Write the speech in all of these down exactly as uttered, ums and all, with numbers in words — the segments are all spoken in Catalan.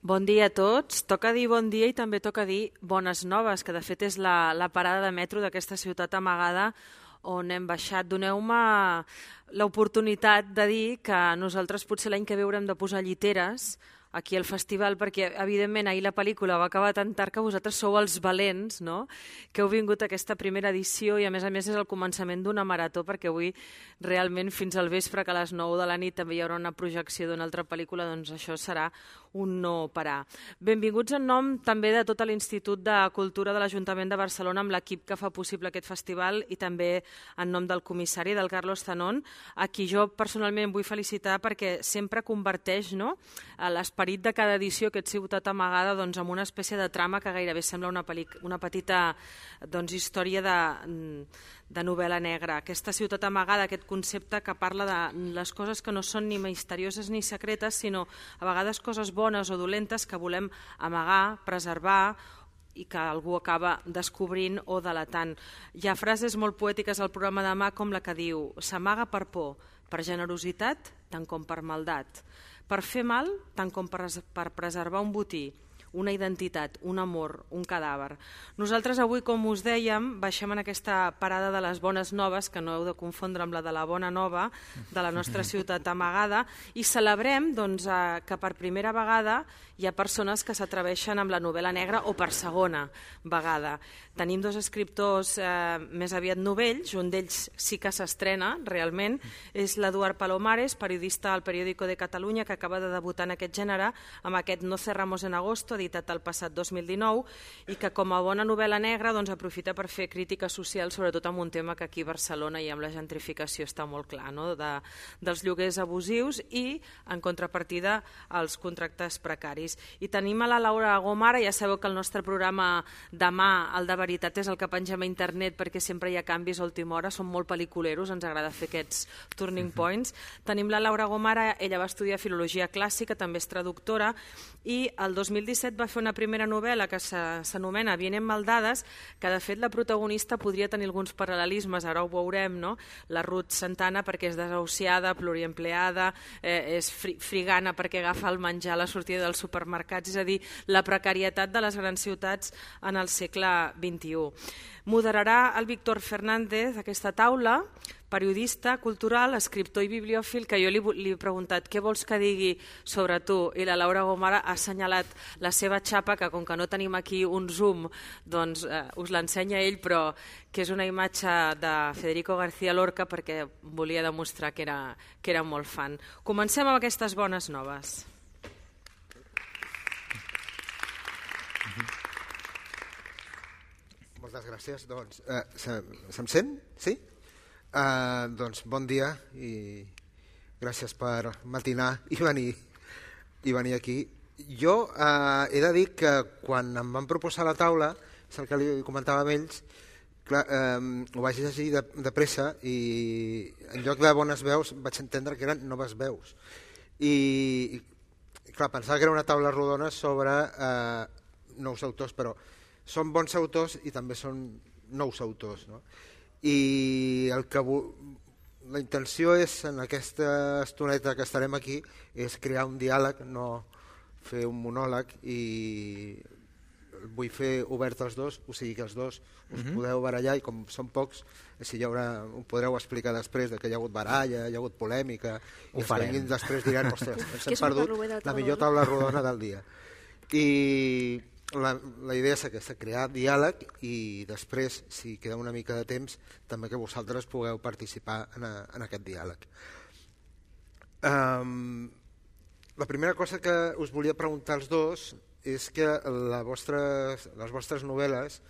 Bon dia a tots. Toca dir bon dia i també toca dir bones noves, que de fet és la, la parada de metro d'aquesta ciutat amagada on hem baixat. Doneu-me l'oportunitat de dir que nosaltres potser l'any que ve haurem de posar lliteres aquí al festival, perquè evidentment ahir la pel·lícula va acabar tan tard que vosaltres sou els valents, no?, que heu vingut a aquesta primera edició i a més a més és el començament d'una marató, perquè avui realment fins al vespre, que a les nou de la nit també hi haurà una projecció d'una altra pel·lícula, doncs això serà un no parar. Benvinguts en nom també de tot l'Institut de Cultura de l'Ajuntament de Barcelona amb l'equip que fa possible aquest festival i també en nom del comissari, del Carlos Zanón, a qui jo personalment vull felicitar perquè sempre converteix, no?, l'esperit de cada edició, aquest Ciutat Amagada, doncs, amb una espècie de trama que gairebé sembla una, una petita doncs, història de, de novel·la negra. Aquesta ciutat amagada, aquest concepte que parla de les coses que no són ni misterioses ni secretes, sinó a vegades coses bones o dolentes que volem amagar, preservar i que algú acaba descobrint o delatant. Hi ha frases molt poètiques al programa demà com la que diu: s'amaga per por, per generositat, tant com per maldat, per fer mal, tant com per, per preservar un botí, una identitat, un amor, un cadàver. Nosaltres avui, com us dèiem, baixem en aquesta parada de les bones noves, que no heu de confondre amb la de la bona nova, de la nostra ciutat amagada, i celebrem doncs, que per primera vegada hi ha persones que s'atreveixen amb la novel·la negra o per segona vegada. Tenim dos escriptors eh, més aviat novells, un d'ells sí que s'estrena realment, és l'Eduard Palomares, periodista al Periódico de Catalunya, que acaba de debutar en aquest gènere amb aquest No cerramos en agosto, editat el passat dos mil dinou, i que com a bona novel·la negra doncs, aprofita per fer crítica social, sobretot amb un tema que aquí a Barcelona i amb la gentrificació està molt clar, no?, de, dels lloguers abusius i, en contrapartida, els contractes precaris. I tenim a la Laura Gomara, ja sabeu que el nostre programa demà, el de veritat, és el que pengem a internet perquè sempre hi ha canvis a última hora, som molt pel·liculeros, ens agrada fer aquests turning points. Tenim la Laura Gomara, ella va estudiar Filologia Clàssica, també és traductora, i el dos mil disset va fer una primera novel·la que s'anomena Vienen maldades, que de fet la protagonista podria tenir alguns paral·lelismes, ara ho veurem, no? La Ruth Santana perquè és desahuciada, pluriempleada, eh, és fri frigana perquè agafa el menjar a la sortida dels supermercats, és a dir, la precarietat de les grans ciutats en el segle vint-i-u. Moderarà el Víctor Fernández aquesta taula, periodista cultural, escriptor i bibliòfil, que jo li, li he preguntat què vols que digui sobre tu, i la Laura Gomara ha assenyalat la seva xapa, que com que no tenim aquí un zoom, doncs eh, us l'ensenya ell, però que és una imatge de Federico García Lorca perquè volia demostrar que era, que era molt fan. Comencem amb aquestes bones noves. Moltes gràcies. Doncs, eh, se, se'm sent? Sí? Uh, doncs bon dia i gràcies per matinar i venir, i venir aquí. Jo uh, he de dir que quan em van proposar la taula, és el que li comentava amb ells, clar, um, ho vaig llegir de, de pressa i en lloc de bones veus vaig entendre que eren noves veus. I, i clar, pensava que era una taula rodona sobre uh, nous autors, però són bons autors i també són nous autors, no? I el que la intenció és, en aquesta estoneta que estarem aquí, és crear un diàleg, no fer un monòleg, i vull fer obert els dos, o sigui que els dos us uh-huh. podeu barallar, i com són pocs, si hi haurà, ho podreu explicar després de que hi ha hagut baralla, hi ha hagut polèmica, ho i els que vinguin després diran, ostres, ens hem perdut la millor taula rodona del dia. I La, la idea és aquesta, crear diàleg i després, si queda una mica de temps, també que vosaltres pugueu participar en, a, en aquest diàleg. Um, la primera cosa que us volia preguntar als dos és que la vostres, les vostres novel·les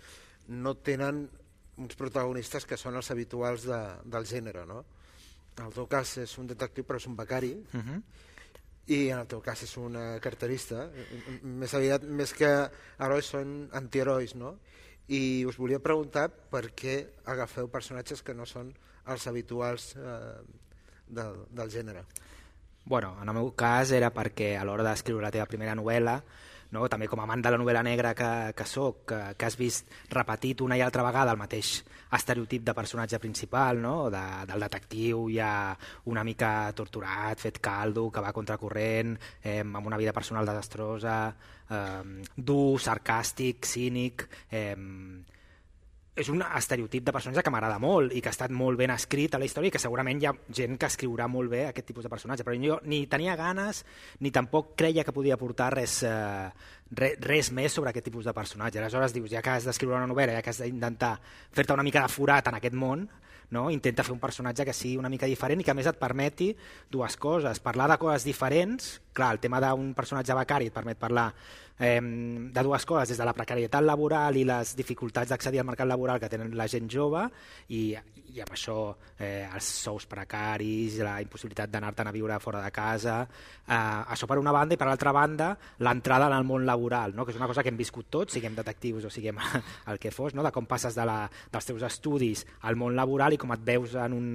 no tenen uns protagonistes que són els habituals de, del gènere, no? En el teu cas és un detectiu però és un becari, uh-huh. i en el teu cas és una carterista, més aviat, més que herois són antiherois, no? I us volia preguntar per què agafeu personatges que no són els habituals eh, del, del gènere. Bueno, en el meu cas era perquè a l'hora d'escriure la teva primera novel·la no? També com a amant de la novel·la negra que, que soc, que, que has vist repetit una i altra vegada el mateix estereotip de personatge principal, no? de, del detectiu ja una mica torturat, fet caldo, que va a contracorrent, eh, amb una vida personal desastrosa, eh, dur, sarcàstic, cínic... Eh, és un estereotip de personatge que m'agrada molt i que ha estat molt ben escrit a la història i que segurament hi ha gent que escriurà molt bé aquest tipus de personatge, però jo ni tenia ganes ni tampoc creia que podia aportar res, eh, res, res més sobre aquest tipus de personatge. Aleshores dius, ja que has d'escriure una novel·la, ja que has d'intentar fer-te una mica de forat en aquest món, no? Intenta fer un personatge que sigui una mica diferent i que a més et permeti dues coses, parlar de coses diferents. Clar, el tema d'un personatge becari et permet parlar eh, de dues coses, des de la precarietat laboral i les dificultats d'accedir al mercat laboral que tenen la gent jove i, i amb això eh, els sous precaris, la impossibilitat d'anar-te'n a viure fora de casa, eh, això per una banda, i per l'altra banda l'entrada en el món laboral, no? Que és una cosa que hem viscut tots, siguem detectius o siguem el que fos, no? De com passes de la, dels teus estudis al món laboral i com et veus en un,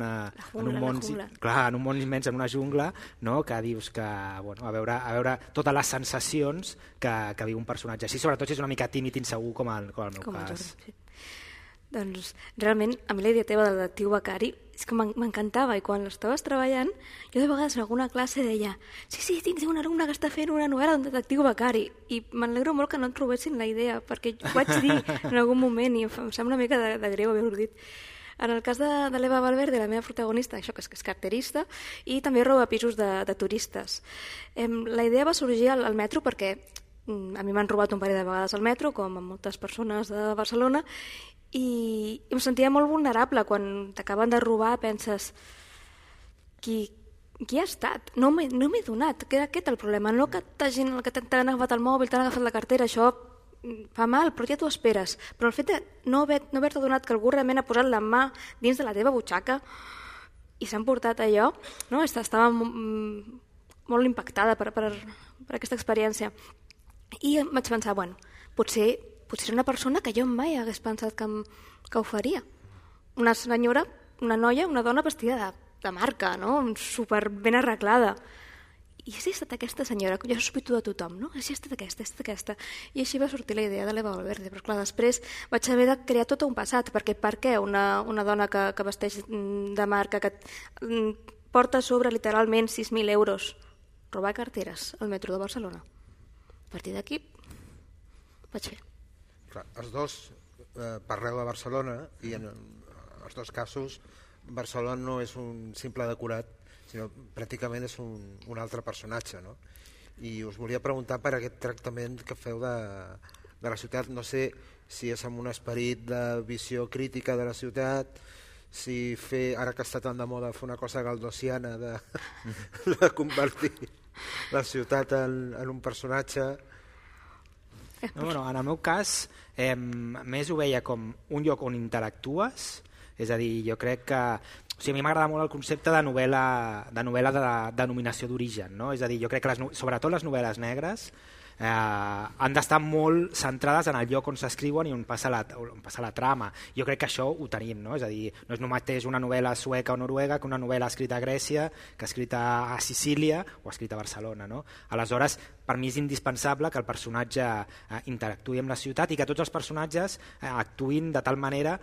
jungla, en un món, clar, en un món immens, en una jungla, no? Que dius que, bueno, a veure, a veure totes les sensacions que, que viu un personatge així, sobretot si és una mica tímid i insegur com el, com el meu com cas. El sí. Doncs realment a mi la idea teva del detectiu becari és que m'encantava, i quan l'estaves treballant jo de vegades en alguna classe deia sí, sí, tinc un alumne que està fent una novel·la d'un detectiu becari, i m'alegro molt que no et trobessin la idea, perquè ho vaig dir en algun moment i em sembla una mica de, de greu haver-ho dit. En el cas de, de l'Eva Valverde, la meva protagonista, això que és, que és carterista, i també roba pisos de, de turistes. Eh, la idea va sorgir al, al metro perquè a mi m'han robat un parell de vegades al metro, com a moltes persones de Barcelona, i em sentia molt vulnerable. Quan t'acaben de robar penses qui, qui ha estat? No m'he no m'he donat, que era aquest el problema, no que t'hagin t'han agafat el mòbil, t'han agafat la cartera, això fa mal, però ja t'ho esperes. Però el fet de no haver-te no haver donat que algú realment ha posat la mà dins de la teva butxaca i s'han portat allò, no? Estava molt impactada per, per, per aquesta experiència. I em vaig pensar, bueno, potser, potser una persona que jo mai hagués pensat que, que ho faria. Una senyora, una noia, una dona vestida de, de marca, no? Super ben arreglada. I si ha estat aquesta senyora, que jo sospito de tothom, no? Si ha estat aquesta, ha estat aquesta. I així va sortir la idea de l'Eva Valverde, però clar, després vaig haver de crear tot un passat, perquè per què una, una dona que, que vesteix de marca, que porta a sobre literalment sis mil euros, robar carteres al metro de Barcelona? A partir d'aquí vaig fer. Clar, els dos eh, parleu de Barcelona i en els dos casos Barcelona no és un simple decorat, sinó pràcticament és un, un altre personatge, no? I us volia preguntar per aquest tractament que feu de, de la ciutat. No sé si és amb un esperit de visió crítica de la ciutat, si fer, ara que està tan de moda, fer una cosa galdosiana de, de convertir la ciutat en, en un personatge. No, bueno, en el meu cas eh, més ho veia com un lloc on interactues, és a dir, jo crec que o sigui, a mi m'agrada molt el concepte de novel·la de novel·la de denominació d'origen, no? És a dir, jo crec que les, sobretot les novel·les negres eh, han d'estar molt centrades en el lloc on s'escriuen i on passa, la, on passa la trama. Jo crec que això ho tenim, no? És a dir, no és el mateix una novel·la sueca o noruega que una novel·la escrita a Grècia, que escrita a Sicília o escrita a Barcelona, no? Aleshores, per mi és indispensable que el personatge eh, interactuï amb la ciutat i que tots els personatges eh, actuïn de tal manera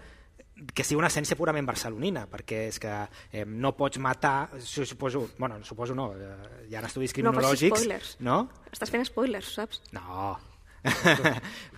que sigui una essència purament barcelonina, perquè és que eh, no pots matar, suposo, bueno, suposo no, eh, hi ha estudis criminològics... No facis spoilers. No? Estàs fent spoilers, saps? No.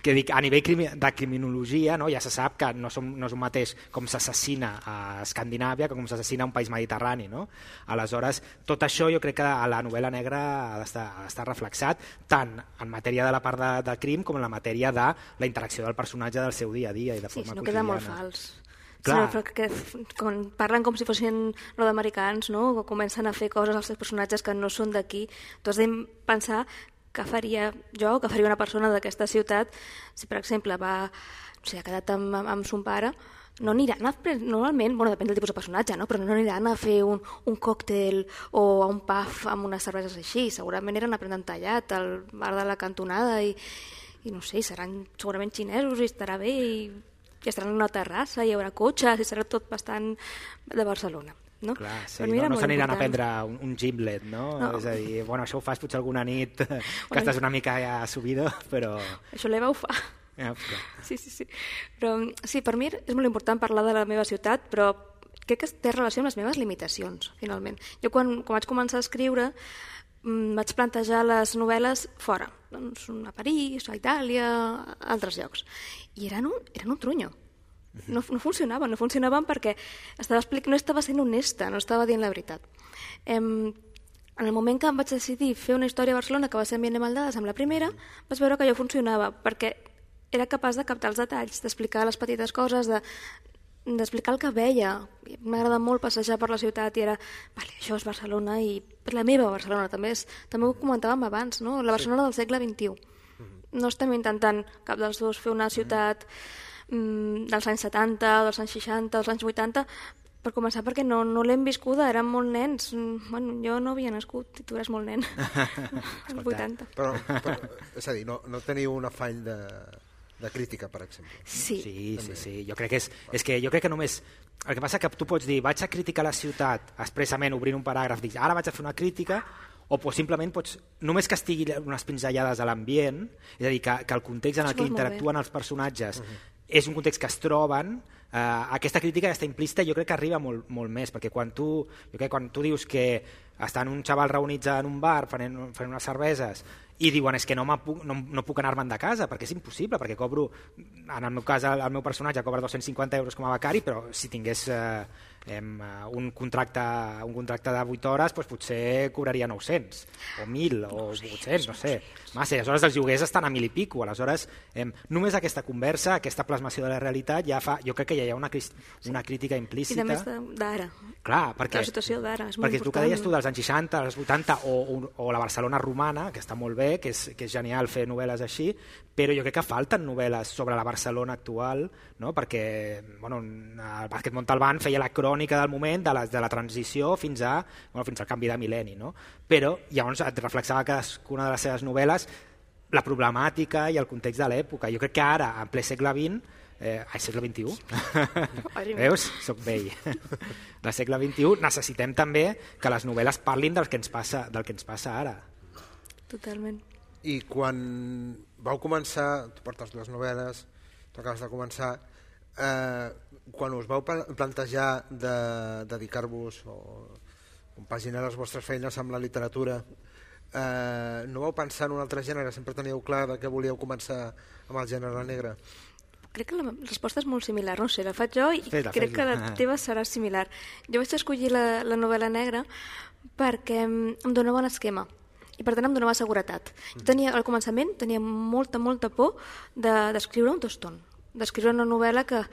Que dic, a nivell crimi de criminologia, no, ja se sap que no, som, no és un mateix com s'assassina a Escandinàvia que com s'assassina a un país mediterrani, no? Aleshores, tot això jo crec que a la novel·la negra ha d'estar reflexat tant en matèria de la part de, de crim com en la matèria de la interacció del personatge del seu dia a dia i de sí, forma no quotidiana. Queda molt fals. Clar. Sí, que, quan parlen com si fossin nord-americans, no? O comencen a fer coses als seus personatges que no són d'aquí, tu has de pensar què faria jo o què faria una persona d'aquesta ciutat si, per exemple, va, no sé, ha quedat amb, amb son pare, no aniran a, normalment, bueno, depèn del tipus de personatge, no? Però no aniran a fer un, un còctel o a un pub amb unes cerveses així, segurament eren a prendre tallat al bar de la cantonada i, i no sé, seran segurament xinesos i estarà bé i i estaran en una terrassa, hi haurà cotxes i serà tot bastant de Barcelona. no? Clar, sí, per mi era no, no molt s'aniran a important. prendre un, un gimlet, no? No. És a dir, bueno, això ho fas potser alguna nit que Bueno. estàs una mica ja subido, però... Això l'Eva ho fa. Ja, clar. Sí, sí, sí. Però sí, per mi és molt important parlar de la meva ciutat, però crec que té relació amb les meves limitacions, finalment. Jo quan, quan vaig començar a escriure mm, vaig plantejar les novel·les fora, doncs a París, a Itàlia, a altres llocs. I eren un, eren un trunyo. No, no funcionaven, no funcionaven perquè estava explic... no estava sent honesta, no estava dient la veritat. Em... En el moment que em vaig decidir fer una història a Barcelona que va ser ambient de maldades amb la primera, vaig veure que allò funcionava, perquè era capaç de captar els detalls, d'explicar les petites coses, de, d'explicar el que veia. M'agrada molt passejar per la ciutat i era, vale, això és Barcelona i la meva Barcelona també és, també ho comentàvem abans, no? La Barcelona del segle vint-i-u. No estem intentant cap dels dos fer una ciutat mm, dels anys setanta, dels anys seixanta, dels anys vuitanta, per començar perquè no, no l'hem viscuda, érem molt nens. Bueno, jo no havia nascut i tu eres molt nen. Als vuitanta. Però, però, és a dir, no, no teniu un afany de, de crítica, per exemple. Sí. Sí, sí, sí. Jo crec que és, és que jo crec que només... El que passa que tu pots dir, vaig a criticar la ciutat expressament obrint un paràgraf, dic, ara vaig a fer una crítica, o pues, simplement pots, només que estigui unes pinzellades a l'ambient, és a dir, que, que el context en el Això que és molt interactuen els personatges uh-huh. és un context que es troben, Uh, aquesta crítica ja està implícita, jo crec que arriba molt, molt més, perquè quan tu, jo crec, quan tu dius que estan un xaval reunits en un bar fent, fent unes cerveses i diuen és que no, puc, no, no puc anar-me'n de casa perquè és impossible, perquè cobro, en el meu cas el, el meu personatge cobra dos-cents cinquanta euros com a becari, però si tingués eh, em, un, contracte, un contracte de vuit hores doncs potser cobraria nou-cents o mil o vuit-cents, no sé massa, aleshores els lloguers estan a mil i pico, aleshores em, només aquesta conversa, aquesta plasmació de la realitat ja fa, jo crec que ja hi ha una, una crítica implícita. I també d'ara. Clar, perquè, la situació d'ara és molt perquè important. tu que deies tu dels anys seixanta, als vuitanta o, o, o la Barcelona romana, que està molt bé, que és, que és genial fer novel·les així, però jo crec que falten novel·les sobre la Barcelona actual, no? Perquè bueno, el Vázquez Montalbán feia la crònica del moment de la, de la transició fins, a, bueno, fins al canvi de mil·lenni, no? Però llavors et reflexava cadascuna de les seves novel·les la problemàtica i el context de l'època. Jo crec que ara, en ple segle vint, eh, ai, segle vint-i-u, veus? Soc vell. Del segle vint-i-u necessitem també que les novel·les parlin del que ens passa, del que ens passa ara. Totalment. I quan vau començar, tu portes dues novel·les, tu acabes de començar, eh, quan us vau plantejar de dedicar-vos o compaginar les vostres feines amb la literatura, eh, no vau pensar en un altre gènere? Sempre teníeu clar que volíeu començar amb el gènere negre? Crec que la resposta és molt similar, no sé, la faig jo i fes-la, crec fes-la. que la teva serà similar. Jo vaig escollir la, la novel·la negra perquè em donava un esquema i per tant em donava seguretat. Jo tenia, al començament tenia molta, molta por d'escriure de, un toston, d'escriure una novel·la que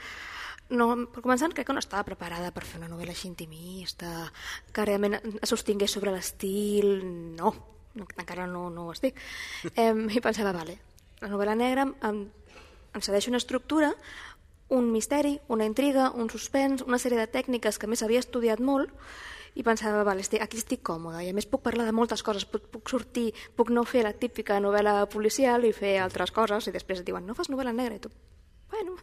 no, per començar crec que no estava preparada per fer una novel·la així intimista, que realment es sostingués sobre l'estil, no, encara no, no ho estic. Eh, I pensava, vale, la novel·la negra em, em cedeix una estructura, un misteri, una intriga, un suspens, una sèrie de tècniques que a més havia estudiat molt i pensava, vale, estic, aquí estic còmoda i a més puc parlar de moltes coses, puc, puc sortir, puc no fer la típica novel·la policial i fer altres coses i després et diuen, no fas novel·la negra i tu, bueno...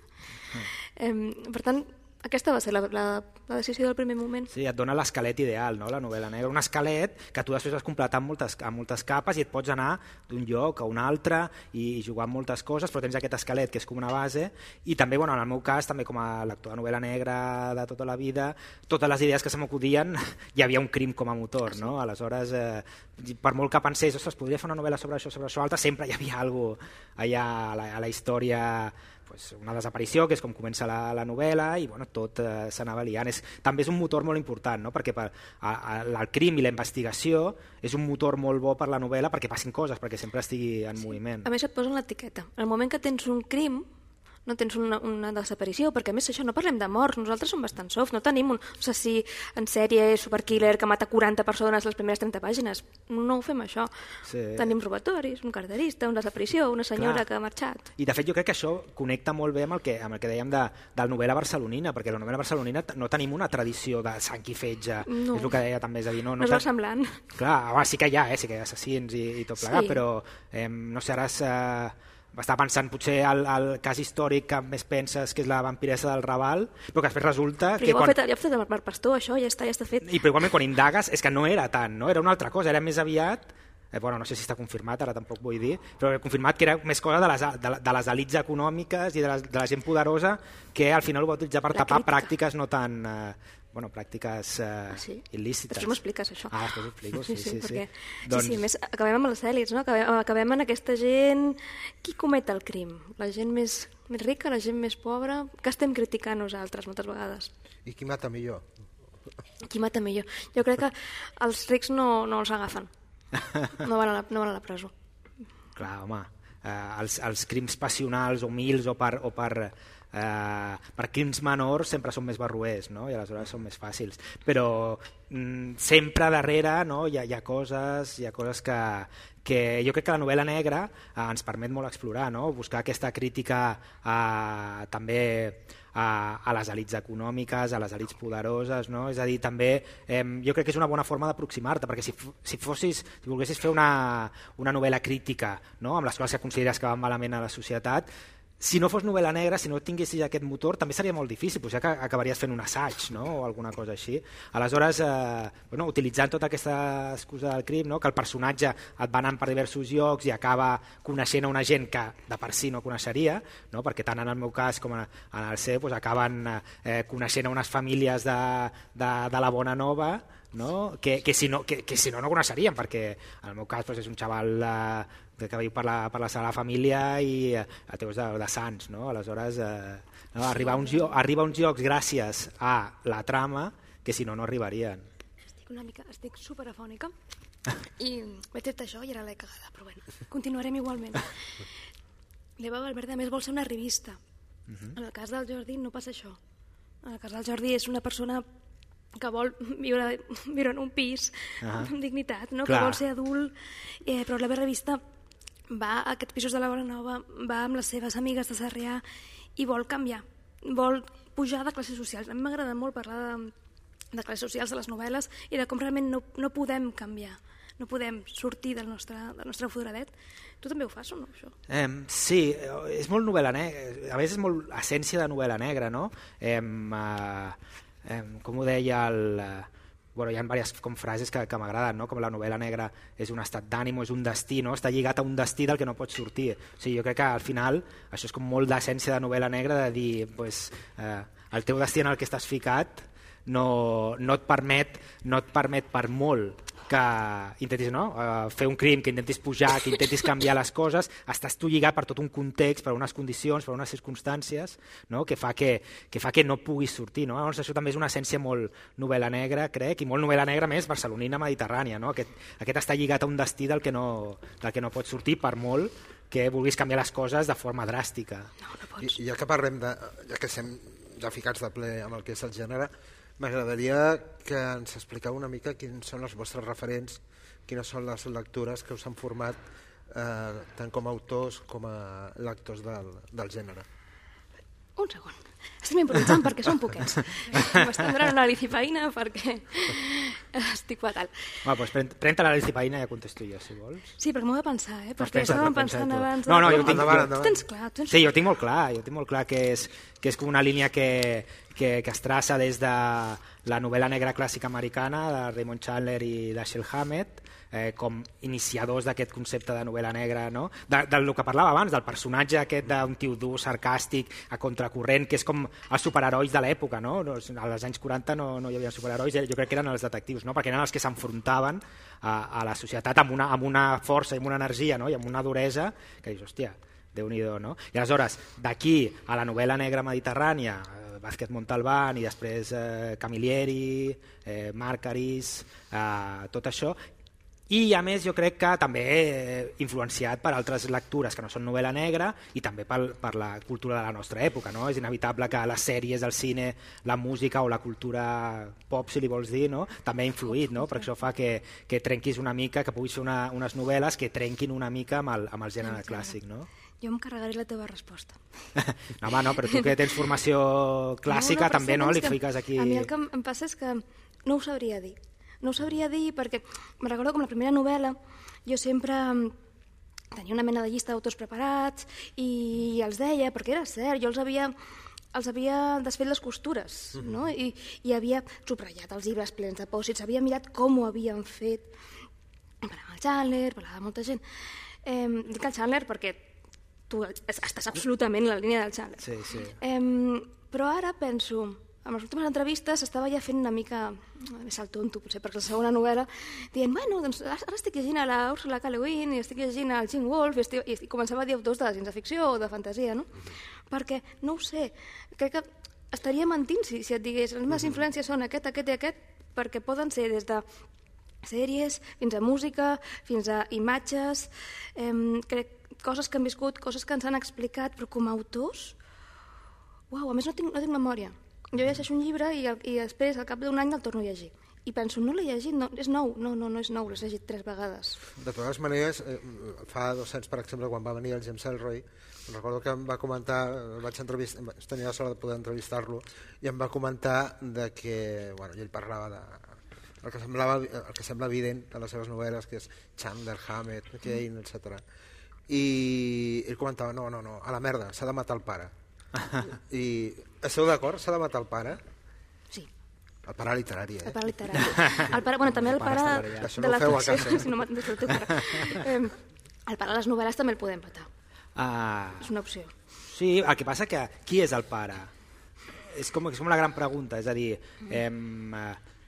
Mm. Eh, per tant, aquesta va ser la, la, la decisió del primer moment. Sí, et dona l'esquelet ideal, no? La novel·la negra. Un esquelet que tu després has completat amb moltes, amb moltes capes i et pots anar d'un lloc a un altre i jugar amb moltes coses, però tens aquest esquelet que és com una base i també, bueno, en el meu cas, també com a lector de novel·la negra de tota la vida, totes les idees que se m'acudien hi havia un crim com a motor, no? Aleshores, eh, per molt que pensés, ostres, podria fer una novel·la sobre això, sobre això altre, sempre hi havia alguna cosa allà a la, a la història, pues, una desaparició, que és com comença la, la novel·la, i bueno, tot eh, s'anava liant. És, també és un motor molt important, no? Perquè per, a, a, el crim i la investigació és un motor molt bo per la novel·la perquè passin coses, perquè sempre estigui en sí. moviment. A més et posen l'etiqueta. En el moment que tens un crim, no tens una, una desaparició, perquè a més això no parlem de morts, nosaltres som bastant soft, no tenim un assassí en sèrie superkiller que mata quaranta persones les primeres trenta pàgines, no ho fem això. Sí. Tenim robatoris, un carterista, una desaparició, una senyora Clar. que ha marxat. I de fet jo crec que això connecta molt bé amb el que, amb el que dèiem de, de la novel·la barcelonina, perquè la novel·la barcelonina no tenim una tradició de sang i fetge, no. És el que deia també, és a dir, no, no, no és ten... semblant. Clar, home, sí que hi ha, eh? Sí que hi ha assassins i, i tot plegat, sí. Però eh, no sé, ara és... Eh, estava pensant potser el, el cas històric que més penses que és la vampiressa del Raval, però que després resulta però que... ja ho quan... ha fet, ja ho ha fet el Marc Pastor, això, ja està, ja està fet. I però igualment quan indagues és que no era tant, no? Era una altra cosa, era més aviat, eh, bueno, no sé si està confirmat, ara tampoc vull dir, però he confirmat que era més cosa de les, de, de les elits econòmiques i de, les, de la gent poderosa que al final ho va utilitzar per La tapar crítica. pràctiques no tan... Eh, bueno, pràctiques eh, Ah, sí? il·lícites. Després m'ho expliques, això. Ah, després ho explico, sí, sí, sí. perquè, sí. Doncs... sí, sí, a més, acabem amb les èlits, no? Acabem, acabem en aquesta gent... Qui comet el crim? La gent més, més rica, la gent més pobra? Què estem criticant nosaltres moltes vegades? I qui mata millor? Qui mata millor? Jo crec que els rics no, no els agafen. No van a la, no van a la presó. Clar, home, eh, els, els crims passionals o mils o per, o per, eh, per crims menors sempre són més barroers, no? I aleshores són més fàcils. Però mm, sempre darrere, no? hi, ha, hi ha coses, hi ha coses que, que jo crec que la novel·la negra eh, ens permet molt explorar, no? Buscar aquesta crítica eh, també a, a les elits econòmiques, a les elits poderoses, no? És a dir, també eh, jo crec que és una bona forma d'aproximar-te, perquè si, si, fossis, si volguessis fer una, una novel·la crítica, no? Amb les coses que consideres que van malament a la societat, si no fos novel·la negra, si no tinguessis aquest motor, també seria molt difícil, potser que acabaries fent un assaig, no? O alguna cosa així. Aleshores, eh, bueno, utilitzant tota aquesta excusa del crim, no? Que el personatge et va anant per diversos llocs i acaba coneixent a una gent que de per si no coneixeria, no? Perquè tant en el meu cas com en el seu doncs acaben eh, coneixent a unes famílies de, de, de la Bona Nova, no? Que, que, si no, que, que si no no coneixerien, perquè en el meu cas doncs, és un xaval eh, que viu per la, per la Sagrada Família i eh, teus de, de Sants, no? Aleshores eh, no, arribar, a uns llocs, arribar a uns llocs gràcies a la trama que si no no arribarien. Estic una mica, estic superafònica i m'he tret això i ara l'he cagada, però bueno, continuarem igualment. L'Eva Valverde a més vol ser una revista. Uh-huh. En el cas del Jordi no passa això. En el cas del Jordi és una persona que vol viure, viure en un pis uh-huh. amb dignitat, no? Que vol ser adult, eh, però la meva revista va a aquests pisos de la Bona Nova, va amb les seves amigues de Sarrià i vol canviar, vol pujar de classes socials. A mi m'agrada molt parlar de, de classes socials de les novel·les i de com realment no, no podem canviar, no podem sortir del nostre, del nostre foradet. Tu també ho fas o no, això? Eh, sí, és molt novel·la negra, a més és molt essència de novel·la negra, no? Eh, eh, eh, com ho deia el... Bueno, hi ha diverses com frases que, que m'agraden, no? Com la novel·la negra és un estat d'ànim, és un destí, no? Està lligat a un destí del que no pots sortir. O sigui, jo crec que al final això és com molt d'essència de novel·la negra, de dir pues, eh, el teu destí en el que estàs ficat no, no, et permet, no et permet per molt que intentis no? uh, fer un crim, que intentis pujar, que intentis canviar les coses, estàs tu lligat per tot un context, per unes condicions, per unes circumstàncies, no? que, fa que, que fa que no puguis sortir. No? Llavors, això també és una essència molt novel·la negra, crec, i molt novel·la negra més barcelonina mediterrània. No? Aquest, aquest està lligat a un destí del que, no, del que no pots sortir per molt que vulguis canviar les coses de forma dràstica. No, no pots. I, ja que parlem de, ja que estem ja ficats de ple amb el que és el gènere, m'agradaria que ens expliqueu una mica quins són els vostres referents, quines són les lectures que us han format eh, tant com a autors com a lectors del, del gènere. Un segon. Estem improvisant perquè som poquets. M'estem donant una licipaïna perquè estic fatal. Va, doncs pren, pren-te la licipaïna i ja contesto jo, si vols. Sí, perquè m'ho he de pensar, eh? Perquè pensa, estàvem pensa pensant tu. abans... No, no, de- jo tinc- Endavant, jo- endavant. Tu tens clar, tu tens Sí, jo tinc molt clar, jo tinc molt clar que és, que és com una línia que, que, que es traça des de la novel·la negra clàssica americana de Raymond Chandler i Dashiell Hammett, eh, com iniciadors d'aquest concepte de novel·la negra, no? de, del que parlava abans, del personatge aquest d'un tio dur, sarcàstic, a contracorrent, que és com els superherois de l'època, no? Als anys quaranta no, no hi havia superherois, jo crec que eren els detectius, no? Perquè eren els que s'enfrontaven a, a la societat amb una, amb una força i amb una energia, no? I amb una duresa que dius, hòstia, Déu-n'hi-do, no? I aleshores, d'aquí a la novel·la negra mediterrània, eh, Vázquez Montalbán i després eh, Camilleri, eh, Márquez, eh, tot això, i a més jo crec que també eh, influenciat per altres lectures que no són novel·la negra i també per, per la cultura de la nostra època, no? És inevitable que les sèries, el cine, la música o la cultura pop, si li vols dir, no? També ha influït, no? Perquè això fa que, que trenquis una mica, que puguis fer una, unes novel·les que trenquin una mica amb el, amb el gènere clàssic, no? Jo em carregaré la teva resposta. No, home, no, però tu que tens formació clàssica No, no, però també, sí, no? és Li que fiques aquí... A mi el que em em passa és que no ho sabria dir. No ho sabria dir perquè me recordo com la primera novel·la jo sempre tenia una mena de llista d'autors preparats i els deia, perquè era cert, jo els havia, els havia desfet les costures, no? I, i havia subratllat els llibres plens de pòsits, havia mirat com ho havien fet. Parlava el Chandler, parlava de molta gent. Eh, dic el Chandler perquè tu estàs absolutament en la línia del Chandler. Sí, sí. Eh, però ara penso... En les últimes entrevistes estava ja fent una mica més al tonto, potser, perquè la segona novel·la, dient, bueno, doncs ara estic llegint a la Ursula K. Le Guin i estic llegint al Gene Wolfe i, estic, i començava a dir autors de ciència-ficció o de fantasia, no? Perquè, no ho sé, crec que estaria mentint si, si et digués les meves influències són aquest, aquest i aquest, perquè poden ser des de sèries fins a música, fins a imatges, eh, crec, coses que han viscut, coses que ens han explicat, però com a autors, uau, a més no tinc, no tinc memòria. Jo llegeixo un llibre i, i després, al cap d'un any, el torno a llegir. I penso, no l'he llegit, no, és nou. No, no, no és nou, l'he llegit tres vegades. De totes maneres, eh, fa dos anys, per exemple, quan va venir el James Ellroy, recordo que em va comentar, vaig entrevistar, tenia la sort de poder entrevistar-lo, i em va comentar de que, bueno, ell parlava de el que semblava, el que sembla evident de les seves novel·les, que és Chandler, Hammett, Kane, etcètera. I ell comentava, no, no, no, a la merda, s'ha de matar el pare. I esteu d'acord? S'ha de matar el pare? Sí. El pare literari, eh? El pare literari. El pare, bueno, també el pare de, de la ficció. ficció. Si no maten el teu pare. Eh, el pare de les novel·les també el podem matar. Ah, és una opció. sí, el que passa que qui és el pare? És com, és com la gran pregunta, és a dir... Eh,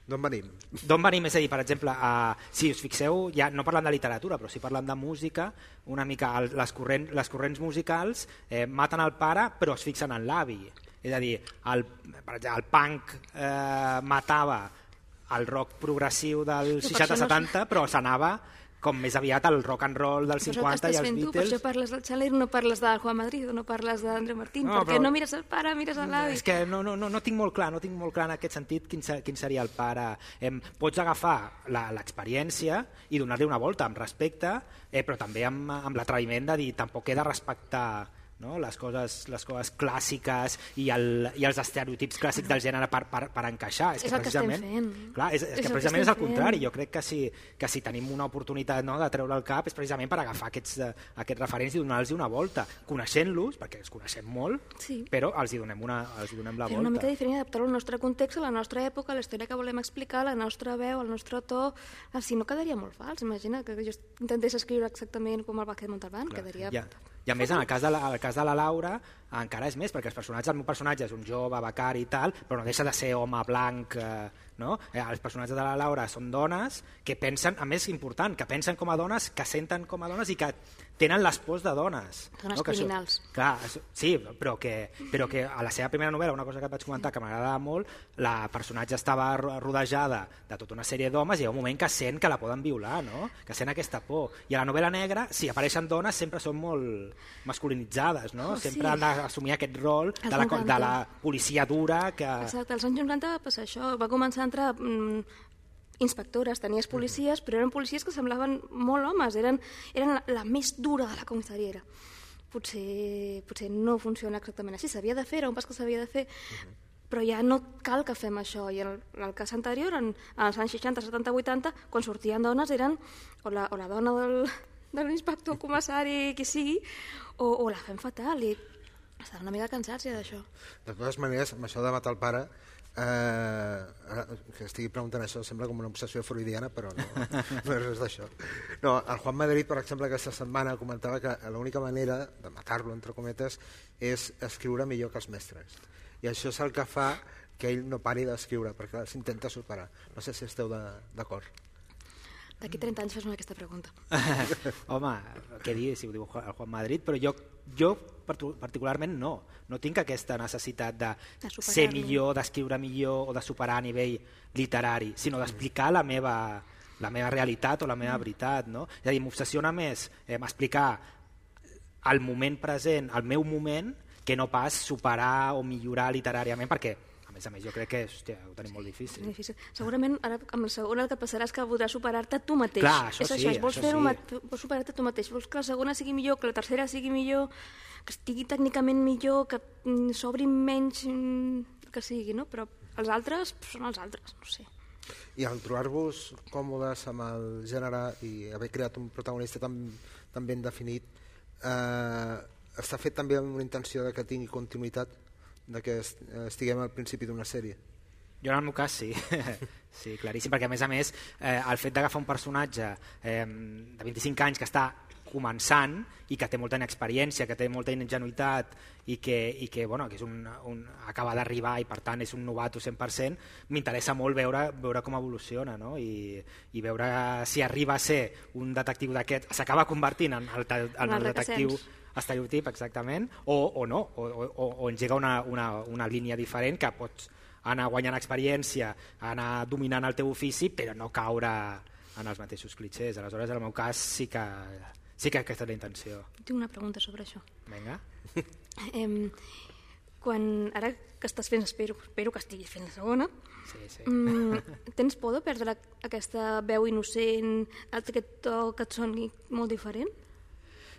D'on venim? D'on venim? És a dir, per exemple, uh, si us fixeu, ja no parlant de literatura, però si parlant de música, una mica el, les, corrent, les corrents musicals eh, maten el pare però es fixen en l'avi. És a dir, el, per exemple, el punk eh, matava el rock progressiu del seixanta setanta, però s'anava com més aviat el rock and roll del cinquanta i els Beatles. Tu, per això parles del Chandler i no parles de Juan Madrid o no parles d'Andreu Martín, no, perquè però... no mires el pare, mires l'avi. És que no, no, no, no tinc molt clar, no tinc molt clar en aquest sentit quin, quin seria el pare. Eh, pots agafar l'experiència i donar-li una volta amb respecte, eh, però també amb, amb l'atreviment de dir tampoc he de respectar, no? les, coses, les coses clàssiques i, el, i els estereotips clàssics del gènere per, per, per encaixar. És, és que el que estem fent. Clar, és, és, és que precisament que és el contrari. Jo crec que si, que si tenim una oportunitat, no, de treure el cap és precisament per agafar aquests, aquests referents i donar-los una volta, coneixent-los, perquè els coneixem molt, sí. però els hi donem, una, els hi donem la Fer volta. una mica diferent, adaptar-lo al nostre context, a la nostra època, a la història que volem explicar, la nostra veu, el nostre to. Si no, quedaria molt fals. Imagina que jo intentés escriure exactament com el Vázquez Montalbán, clar, quedaria... Ja. I a més, en el cas de la, el cas de la Laura, encara és més, perquè els personatges, el meu personatge és un jove, becari i tal, però no deixa de ser home blanc, eh, no? Eh, els personatges de la Laura són dones que pensen, a més important, que pensen com a dones, que senten com a dones i que tenen les pors de dones. Dones no? Que criminals. Això, clar, sí, però que, però que a la seva primera novel·la, una cosa que et vaig comentar que m'agradava molt, la personatge estava rodejada de tota una sèrie d'homes i hi ha un moment que sent que la poden violar, no? Que sent aquesta por. I a la novel·la negra, si apareixen dones, sempre són molt masculinitzades, no? Oh, sempre sí. han d'assumir aquest rol de la, de la policia dura que... Exacte, als anys noranta va passar això, va començar a entrar mm, inspectores, tenies policies, però eren policies que semblaven molt homes, eren, eren la, la més dura de la comissariera. Potser, potser no funciona exactament així, s'havia de fer, era un pas que s'havia de fer, uh-huh. però ja no cal que fem això. I en el, en el cas anterior, en, en els anys seixanta, setanta, vuitanta, quan sortien dones eren o la, o la dona del, de l'inspector, comissari, qui sigui, o, o la fem fatal, i estan una mica cansats ja d'això. De totes maneres, amb això de matar el pare, eh, que estigui preguntant això sembla com una obsessió freudiana, però no, no és res d'això. No, el Juan Madrid, per exemple, aquesta setmana comentava que l'única manera de matar-lo, entre cometes, és escriure millor que els mestres. I això és el que fa que ell no pari d'escriure, perquè s'intenta superar. No sé si esteu d'acord. D'aquí trenta anys fes-me aquesta pregunta. Home, què dir si ho diu el Juan Madrid, però jo, jo particularment no. No tinc aquesta necessitat de, de ser millor, d'escriure millor o de superar a nivell literari, sinó d'explicar la meva, la meva realitat o la meva veritat. No? És a dir, m'obsessiona més eh, explicar el moment present, el meu moment, que no pas superar o millorar literàriament, perquè a més a més jo crec que hòstia, ho tenim molt difícil. difícil. Segurament ara amb el segon el que passarà és que voldràs superar-te tu mateix. Clar, això és sí, això, vols, això sí. vols superar-te tu mateix, vols que la segona sigui millor, que la tercera sigui millor, que estigui tècnicament millor, que s'obri menys, que sigui, no? Però els altres són els altres, no sé. I al trobar-vos còmodes amb el gènere i haver creat un protagonista tan, tan ben definit, eh, està fet també amb una intenció de que tingui continuïtat, de que estiguem al principi d'una sèrie? Jo en el meu cas sí, sí, claríssim, perquè a més a més eh, el fet d'agafar un personatge eh, de vint-i-cinc anys que està començant i que té molta inexperiència, que té molta ingenuïtat i que, i que, bueno, que és un, un, acaba d'arribar i per tant és un novato cent per cent, m'interessa molt veure, veure com evoluciona, no? I, i veure si arriba a ser un detectiu d'aquest, s'acaba convertint en el, en el detectiu estereotip exactament, o, o no, o, o, o engega una, una, una línia diferent que pots anar guanyant experiència, anar dominant el teu ofici, però no caure en els mateixos clitxers. Aleshores, en el meu cas, sí que, sí que aquesta és la intenció. Tinc una pregunta sobre això. Vinga. Eh, quan, ara que estàs fent, espero, espero que estiguis fent la segona, sí, sí. Mm, tens por de perdre la, aquesta veu innocent, aquest to que et soni molt diferent?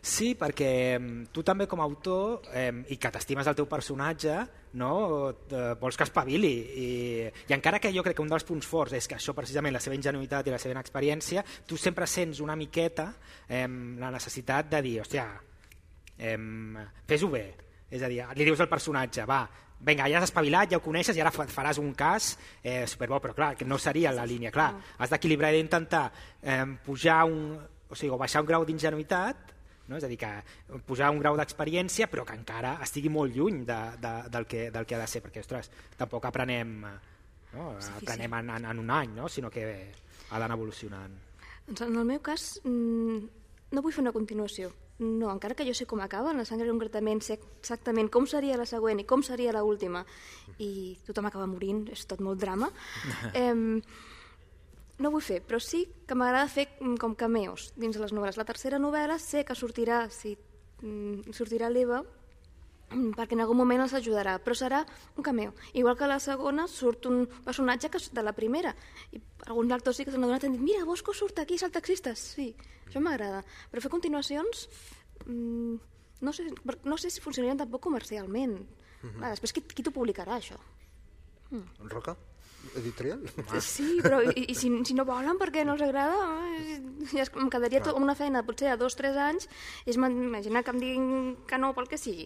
Sí, perquè tu també com a autor eh, i que t'estimes el teu personatge, no, eh, vols que espavili i, i encara que jo crec que un dels punts forts és que això precisament la seva ingenuïtat i la seva inexperiència, tu sempre sents una miqueta eh, la necessitat de dir, hòstia, eh, fes-ho bé, és a dir, li dius al personatge, va, vinga, ja has espavilat, ja ho coneixes i ara faràs un cas eh, superbo, però clar, que no seria la línia, clar, has d'equilibrar i d'intentar eh, pujar un, o sigui, o baixar un grau d'ingenuïtat, no? És a dir, que posar un grau d'experiència però que encara estigui molt lluny de, de, del, que, del que ha de ser, perquè ostres, tampoc aprenem, no? aprenem en, en, en un any, no? Sinó que ha d'anar evolucionant. Doncs en el meu cas no vull fer una continuació, no, encara que jo sé com acaba, en La sangre concretament sé exactament com seria la següent i com seria l'última i tothom acaba morint, és tot molt drama. eh, No vull fer, però sí que m'agrada fer com cameos dins de les novel·les. La tercera novel·la sé que sortirà, si sortirà l'Eva, perquè en algun moment els ajudarà, però serà un cameo. Igual que a la segona surt un personatge que de la primera, i alguns lectors sí que s'han adonat i han dit mira, Bosco surt aquí, és el taxista. Sí, això m'agrada. Però fer continuacions mmm, no, sé, no sé si funcionarien tampoc comercialment. Mm-hmm. Ah, després, qui, qui t'ho publicarà, això? Mm. Roca? Editorial? Sí, però i, i si, si no volen perquè no els agrada, ja em quedaria tot, una feina potser a dos o tres anys, és imaginar que em diguin que no pel que sigui.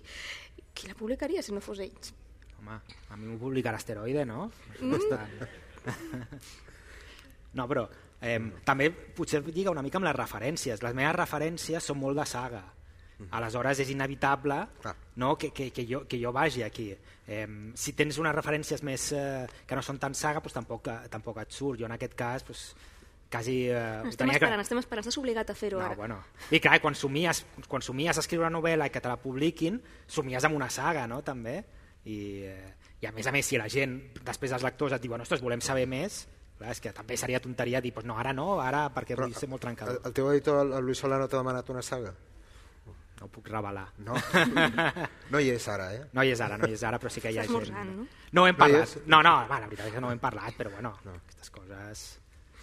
Qui la publicaria si no fos ells? Home, a mi m'ho publicarà Asteroide, no? Mm. No, però eh, també potser lliga una mica amb les referències. Les meves referències són molt de saga. Aleshores és inevitable no, que, que, que, jo, que jo vagi aquí. Eh, si tens unes referències més eh, que no són tan saga, doncs tampoc, tampoc et surt. Jo en aquest cas doncs, quasi... Eh, estem esperant, clar. estem esperant, estàs obligat a fer-ho no, ara. Bueno. I clar, quan somies, quan somies a escriure una novel·la i que te la publiquin, somies amb una saga, no?, també. I, eh, I a més a més, si la gent, després els lectors et diuen ostres, volem saber més, clar, és que també seria tonteria dir, pues no, ara no, ara perquè Però, vull ser molt trencador. El, el teu editor, el Luis Solano, t'ha demanat una saga? No ho puc revelar. No. No hi és ara, eh? No hi és ara, no hi és ara, però sí que hi ha gent. No? No ho hem parlat. No, no, va, la veritat és que no ho hem parlat, però bueno, no. Aquestes coses...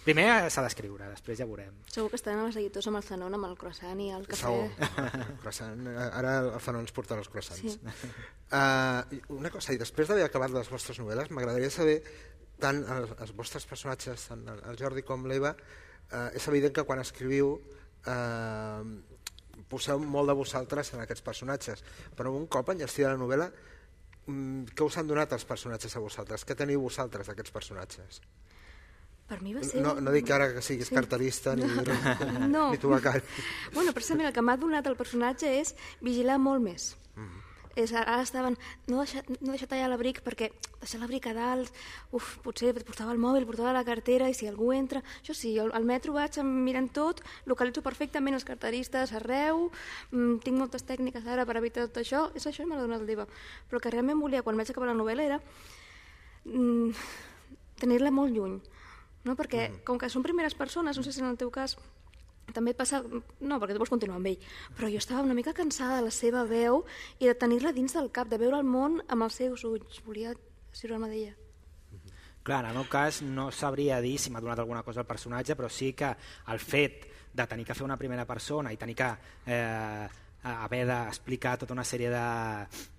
Primer s'ha d'escriure, després ja veurem. Segur que estaran els editors amb el Zanon, amb el croissant i el cafè. Segur. Croissant. Ara el Zanon ens portarà els croissants. Sí. Uh, una cosa, i després d'haver acabat les vostres novel·les, m'agradaria saber, tant els, els vostres personatges, tant el Jordi com l'Eva, uh, és evident que quan escriviu uh, poseu molt de vosaltres en aquests personatges, però un cop enllestida la novel·la, què us han donat els personatges a vosaltres? Què teniu vosaltres d'aquests personatges? Per mi va ser... No, no dic ara que siguis sí. carterista ni, no. ni tubacari. Bueno, precisament el que m'ha donat el personatge és vigilar molt més. Mm-hmm. És, ara estaven, no deixar, no deixar tallar l'abric perquè deixar l'abric a dalt, uf, potser portava el mòbil, portava la cartera i si algú entra, això sí, al, al metro vaig mirant tot, localitzo perfectament els carteristes arreu, mmm, tinc moltes tècniques ara per evitar tot això, és això i me l'ha donat el Deva. Però el que realment volia quan vaig acabar la novel·la era mmm, tenir-la molt lluny, no? Perquè mm. com que són primeres persones, no sé si en el teu cas també passa, no, perquè tu vols continuar amb ell, però jo estava una mica cansada de la seva veu i de tenir-la dins del cap, de veure el món amb els seus ulls. Volia escriure-me d'ella. Clar, en el meu cas no sabria dir si m'ha donat alguna cosa al personatge, però sí que el fet de tenir que fer una primera persona i tenir que eh, haver d'explicar tota una sèrie de,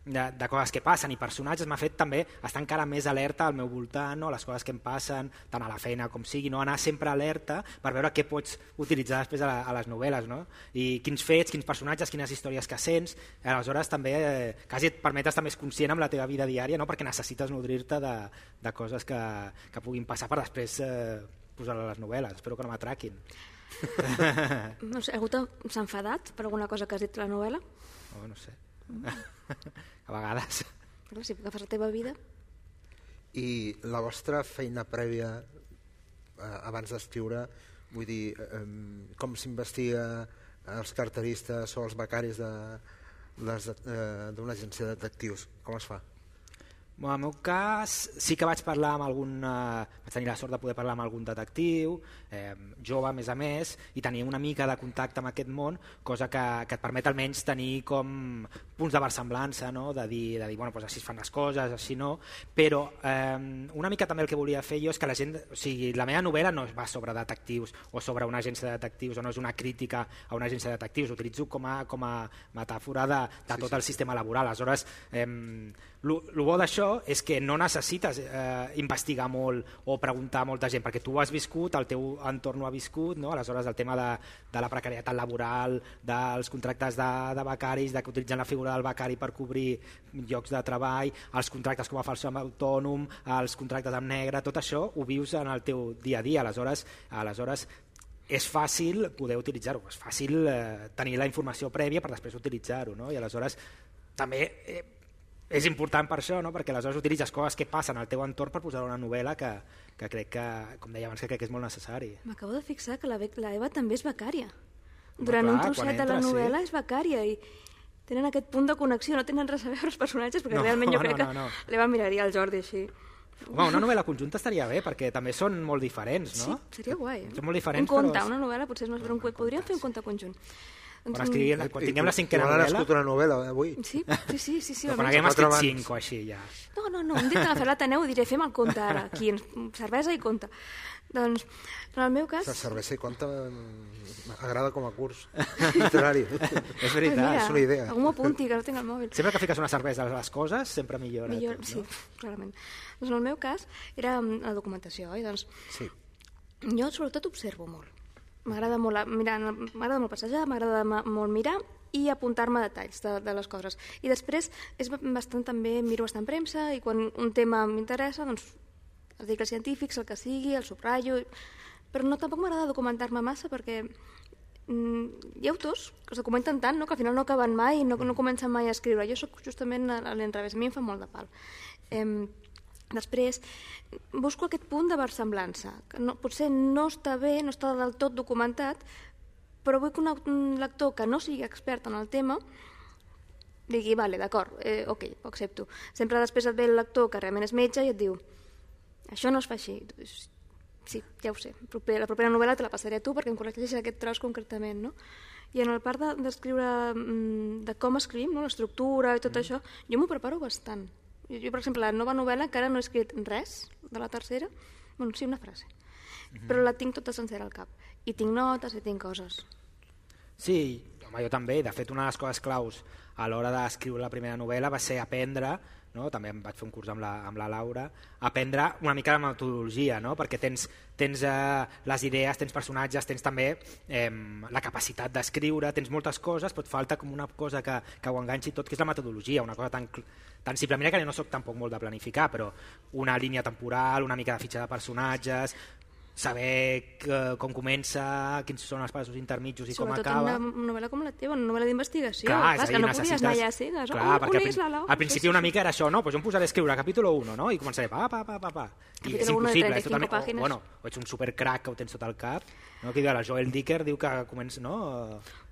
de, de coses que passen i personatges m'ha fet també estar encara més alerta al meu voltant, no? Les coses que em passen tant a la feina com sigui, no? Anar sempre alerta per veure què pots utilitzar després a, la, a les novel·les, no? I quins fets, quins personatges, quines històries que sents. Aleshores també eh, quasi et permet estar més conscient amb la teva vida diària, no? Perquè necessites nodrir-te de, de coses que, que puguin passar per després eh, posar a les novel·les. Espero que no m'atraquin. No sé, algú s'ha enfadat per alguna cosa que has dit a la novel·la? Oh, no sé. A vegades. Però si agafes la teva vida... I la vostra feina prèvia eh, abans d'escriure, vull dir, eh, com s'investiga els carteristes o els becaris d'una eh, agència de detectius? Com es fa? Bueno, en el meu cas sí que vaig parlar amb algun, eh, vaig tenir la sort de poder parlar amb algun detectiu, eh, jove a més a més, i tenir una mica de contacte amb aquest món, cosa que, que et permet almenys tenir com punts de versemblança, no? de dir, de dir bueno, doncs així es fan les coses, així no, però eh, una mica també el que volia fer jo és que la gent, o sigui, la meva novel·la no va sobre detectius o sobre una agència de detectius o no és una crítica a una agència de detectius, utilitzo com a, com a metàfora de, de sí, tot sí, el sistema laboral. Aleshores, eh, el bo d'això és que no necessites eh, investigar molt o preguntar a molta gent, perquè tu ho has viscut, el teu entorn ho ha viscut, no? Aleshores el tema de, de la precarietat laboral, dels contractes de, de becaris, de que utilitzen la figura del becari per cobrir llocs de treball, els contractes com a falso autònom, els contractes amb negre, tot això ho vius en el teu dia a dia. Aleshores, aleshores és fàcil poder utilitzar-ho, és fàcil eh, tenir la informació prèvia per després utilitzar-ho, no? I aleshores també eh, és important per això, no? Perquè aleshores utilitzes coses que passen al teu entorn per posar una novel·la que, que crec que, com deia abans, que crec que és molt necessari. M'acabo de fixar que la, la Eva també és becària. Durant clar, un trosset entra, de la novel·la sí. És becària i tenen aquest punt de connexió, no tenen res a veure els personatges, perquè no, realment jo crec no, no, no. que l'Eva miraria el Jordi així. Home, una novel·la conjunta estaria bé, perquè també són molt diferents, no? Sí, seria guai. Són molt diferents, un conte, però... una novel·la potser és més per un conte. Podríem fer un conte conjunt. Quan, escrivim, quan tinguem la cinquena novel·la... novel·la... Quan han escrit una novel·la avui? Sí, sí, sí. sí, sí quan haguem escrit cinc o així, ja. No, no, no, un dia que agafar l'Ateneu i diré fem el conte ara, aquí, cervesa i conte. Doncs, en el meu cas... La cervesa i conte m'agrada com a curs literari. És veritat, mira, és una idea. Algú m'apunti, que no tinc el mòbil. Sempre que fiques una cervesa a les coses, sempre millora. Millor, tot, sí, no? clarament. Doncs en el meu cas era la documentació, oi? Doncs, sí. Jo sobretot observo molt. M'agrada molt, mirar, m'agrada molt passejar, m'agrada molt mirar i apuntar-me detalls de, de les coses. I després és bastant també, miro bastant premsa i quan un tema m'interessa, doncs articles científics, el que sigui, el subratllo, però no tampoc m'agrada documentar-me massa perquè mm, hi ha autors que es documenten tant, no?, que al final no acaben mai i no, no comencen mai a escriure. Jo sóc justament a l'enrevés, a mi em fa molt de pal. Eh, Després, busco aquest punt de versemblança, que no, potser no està bé, no està del tot documentat, però vull que un, un lector que no sigui expert en el tema digui, vale, d'acord, eh, ok, ho accepto. Sempre després et ve el lector que realment és metge i et diu, això no es fa així. Sí, ja ho sé, la propera novel·la te la passaré a tu perquè em corregeixes aquest tros concretament, no? I en el part d'escriure de, de com escrivim, no? L'estructura i tot mm. això, jo m'ho preparo bastant. Jo, per exemple, la nova novel·la encara no he escrit res de la tercera, bueno, sí, una frase, mm-hmm. però la tinc tota sencera al cap. I tinc notes i tinc coses. Sí, home, jo també. De fet, una de les coses claus a l'hora d'escriure la primera novel·la va ser aprendre, no? També em vaig fer un curs amb la, amb la Laura, aprendre una mica de metodologia, no? Perquè tens, tens eh, les idees, tens personatges, tens també eh, la capacitat d'escriure, tens moltes coses, però et falta com una cosa que, que ho enganxi tot, que és la metodologia, una cosa tan, tan simple. Mira que no soc tampoc molt de planificar, però una línia temporal, una mica de fitxa de personatges, saber que, com comença, quins són els passos intermitjos i sobretot com acaba. Sobretot una novel·la com la teva, una novel·la d'investigació. Clar, Clar, és que no necessites... podies anar allà a cegues. Clar, on, perquè on és la Laura? al principi una mica era això, no? Pues jo em posaré a escriure capítol u, no? I començaré pa, pa, pa, pa, pa. I és impossible, és totalment... O, bueno, o ets un supercrac que ho tens sota el cap, no? Que diu, el Joel Dicker diu que comença, no?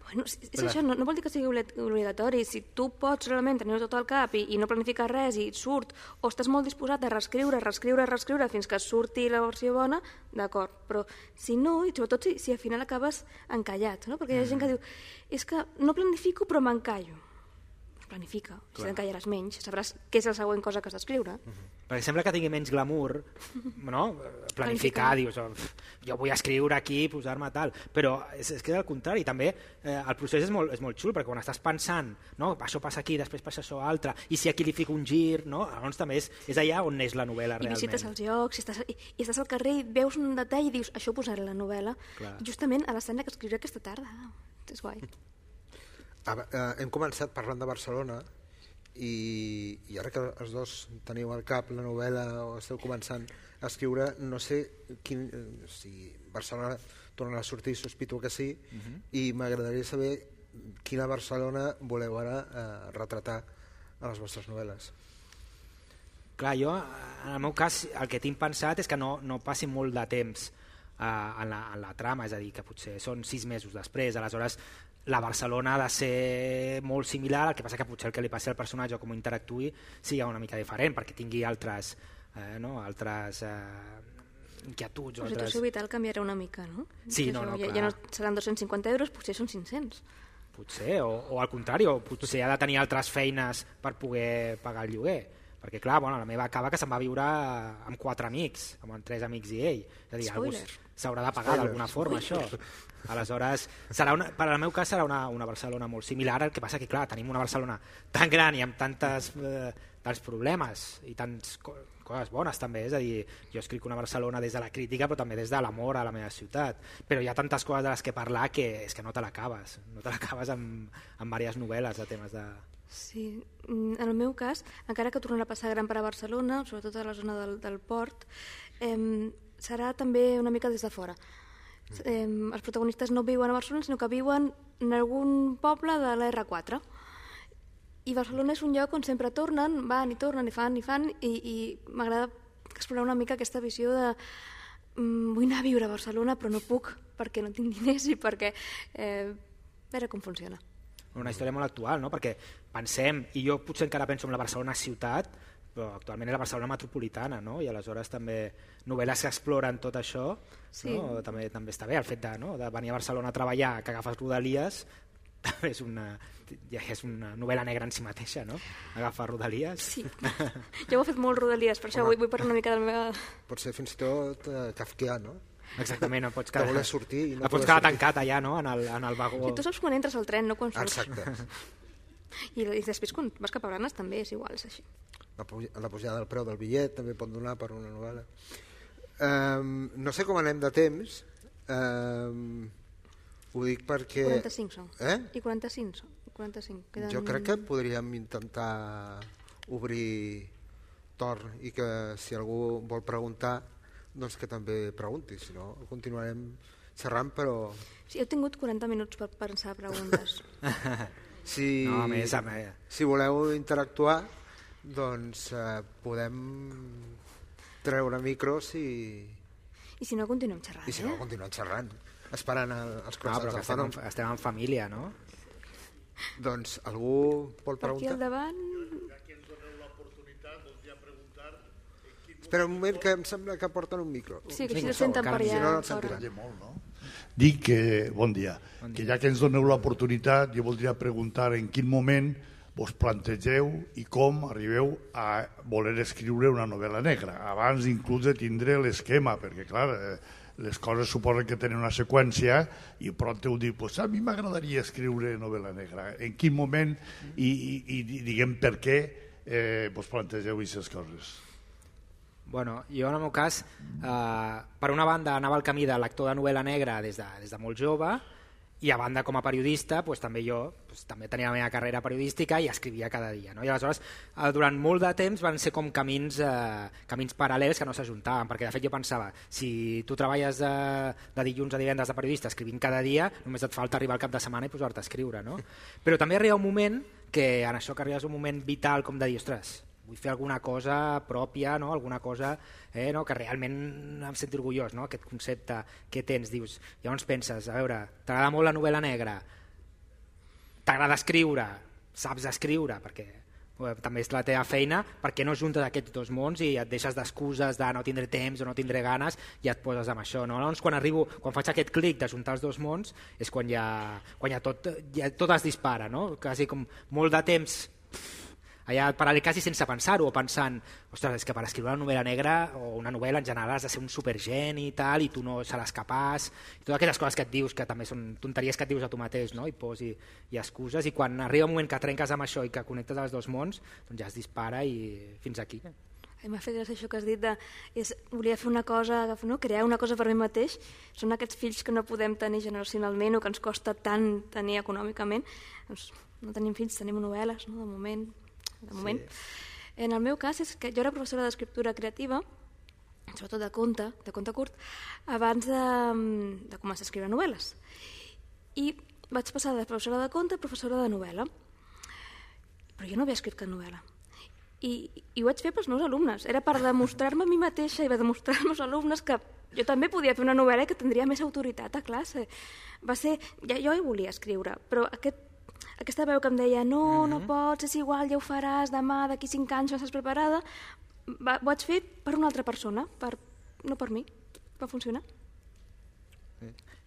Bueno, és Però... això, no, no vol dir que sigui obligatori. Si tu pots realment tenir-ho tot al cap i, i no planificar res i surt, o estàs molt disposat a reescriure, reescriure, reescriure fins que surti la versió bona, d'acord. Però si no, i sobretot si, si al final acabes encallat, no? Perquè hi ha gent que diu, és que no planifico però m'encallo. planifica. Si t'encallaràs menys, sabràs què és la següent cosa que has d'escriure. Uh-huh. Perquè sembla que tingui menys glamour, no? Planificar, dius, oh, jo vull escriure aquí, posar-me tal, però és, és que és el contrari, també eh, el procés és molt, és molt xul, perquè quan estàs pensant, no? Això passa aquí, després passa això altre, i si aquí li fico un gir, no? Llavors també és, és allà on neix la novel·la realment. I visites els llocs, i estàs, i, i estàs al carrer i veus un detall i dius, això ho posaré a la novel·la. Clar. Justament a l'escena que escriuré aquesta tarda. És guai. Ah, eh, hem començat parlant de Barcelona i, i ara que els dos teniu al cap la novel·la o esteu començant a escriure, no sé quin, si Barcelona torna a sortir, sospito que sí, uh-huh. i m'agradaria saber quina Barcelona voleu ara eh, retratar a les vostres novel·les. Clar, jo, en el meu cas, el que tinc pensat és que no, no passi molt de temps eh, en, la, en la trama, és a dir, que potser són sis mesos després, aleshores la Barcelona ha de ser molt similar, el que passa que potser el que li passi al personatge o com interactuï sigui una mica diferent, perquè tingui altres, eh, no? altres eh, inquietuds. La situació altres... vital canviarà una mica, no? Sí, no, no, ja, ja no seran dos-cents cinquanta euros, potser són cinc-cents. Potser, o, o al contrari, o potser ha de tenir altres feines per poder pagar el lloguer. Perquè clar, bueno, la meva acaba que se'n va viure amb quatre amics, amb tres amics i ell. És a dir, algú s'haurà de pagar d'alguna forma, això. Aleshores, serà una, per al meu cas serà una, una Barcelona molt similar, el que passa que clar, tenim una Barcelona tan gran i amb tantes, eh, tants problemes i tants co coses bones també, és a dir, jo escric una Barcelona des de la crítica però també des de l'amor a la meva ciutat, però hi ha tantes coses de les que parlar que és que no te l'acabes, no te l'acabes amb, amb diverses novel·les de temes de... Sí, en el meu cas, encara que tornarà a passar gran per a Barcelona, sobretot a la zona del, del port, eh, serà també una mica des de fora. Eh, els protagonistes no viuen a Barcelona, sinó que viuen en algun poble de l'R quatre. I Barcelona és un lloc on sempre tornen, van i tornen i fan i fan, i, i m'agrada explorar una mica aquesta visió de mm, vull anar a viure a Barcelona però no puc perquè no tinc diners i perquè eh, veure com funciona. Una història molt actual, no? Perquè pensem, i jo potser encara penso en la Barcelona ciutat, però actualment és la Barcelona metropolitana, no? I aleshores també novel·les que exploren tot això, sí. No? també, també està bé el fet de, no? de venir a Barcelona a treballar, que agafes Rodalies, també és una, ja és una novel·la negra en si mateixa, no? Agafar Rodalies. Sí, jo ho he fet molt Rodalies, per això Home, vull, vull parlar una mica de la meva... Pot ser fins i tot uh, kafkià, no? Exactament, no pots quedar, sortir i no no pots quedar tancat allà, no? en, el, en el vagó. I tu saps quan entres al tren, no quan surts. Exacte. I, I després quan vas cap a Blanes també és igual, és així. La, la pujada del preu del bitllet també pot donar per una novel·la. Um, no sé com anem de temps, um, ho dic perquè... quaranta-cinc són. Eh? I quaranta-cinc són. quaranta-cinc. Queden... Jo crec que podríem intentar obrir torn i que si algú vol preguntar doncs que també pregunti, si no continuarem xerrant, però... Sí, heu tingut quaranta minuts per pensar preguntes. si, no, a més, a més. Si voleu interactuar, doncs eh, podem treure micros i... I si no, continuem xerrant. I si no, eh? continuem xerrant, esperant el, els croissants. No, però estem en, estem en família, no? Doncs algú vol preguntar? Per aquí al davant... Espera un moment, que em sembla que porten un micro. Sí, que així el senten per allà. Si no, no el sentiran. Molt, no? Dic que, bon dia, bon dia, que ja que ens doneu l'oportunitat, jo voldria preguntar en quin moment vos plantegeu i com arribeu a voler escriure una novel·la negra, abans inclús de tindre l'esquema, perquè clar, les coses suposen que tenen una seqüència i pront heu dit, pues a mi m'agradaria escriure novel·la negra. En quin moment i, i, i diguem per què eh, vos plantegeu aquestes coses? Bueno, jo en el meu cas, eh, per una banda anava al camí de lector de novel·la negra des de, des de molt jove, i a banda com a periodista pues, també jo pues, també tenia la meva carrera periodística i escrivia cada dia, no? I aleshores eh, durant molt de temps van ser com camins, eh, camins paral·lels que no s'ajuntaven, perquè de fet jo pensava, si tu treballes de, de dilluns a divendres de periodista escrivint cada dia, només et falta arribar al cap de setmana i posar-te a escriure, no? Però també arriba un moment que en això que arribes un moment vital com de dir, ostres, vull fer alguna cosa pròpia, no? Alguna cosa eh, no? que realment em senti orgullós, no? Aquest concepte que tens, dius, llavors penses, a veure, t'agrada molt la novel·la negra, t'agrada escriure, saps escriure, perquè eh, també és la teva feina, perquè no juntes aquests dos mons i et deixes d'excuses de no tindré temps o no tindré ganes i et poses amb això, no? Llavors quan arribo, quan faig aquest clic de juntar els dos mons és quan ja, quan ja, tot, ja tot es dispara, no? Quasi com molt de temps allà paral·lel quasi sense pensar-ho, o pensant, ostres, és que per escriure una novel·la negra o una novel·la en general has de ser un supergeni i tal, i tu no seràs capaç, i totes aquelles coses que et dius, que també són tonteries que et dius a tu mateix, no? I pors i, i excuses, i quan arriba un moment que trenques amb això i que connectes els dos mons, doncs ja es dispara i fins aquí. M'ha fet gràcia això que has dit de és, volia fer una cosa, no? Crear una cosa per mi mateix. Són aquests fills que no podem tenir generacionalment o que ens costa tant tenir econòmicament. Doncs no tenim fills, tenim novel·les, no? De moment. De moment. Sí. En el meu cas és que jo era professora d'escriptura creativa, sobretot de conte, de conte curt, abans de, de començar a escriure novel·les. I vaig passar de professora de conte a professora de novel·la. Però jo no havia escrit cap novel·la. I, i ho vaig fer pels meus alumnes. Era per demostrar-me a mi mateixa i per demostrar als meus alumnes que jo també podia fer una novel·la i que tindria més autoritat a classe. Va ser, ja, jo hi volia escriure, però aquest aquesta veu que em deia no, mm-hmm. no pots, és igual, ja ho faràs demà, d'aquí cinc anys no estàs preparada, va, ho vaig fer per una altra persona, per, no per mi. Va funcionar.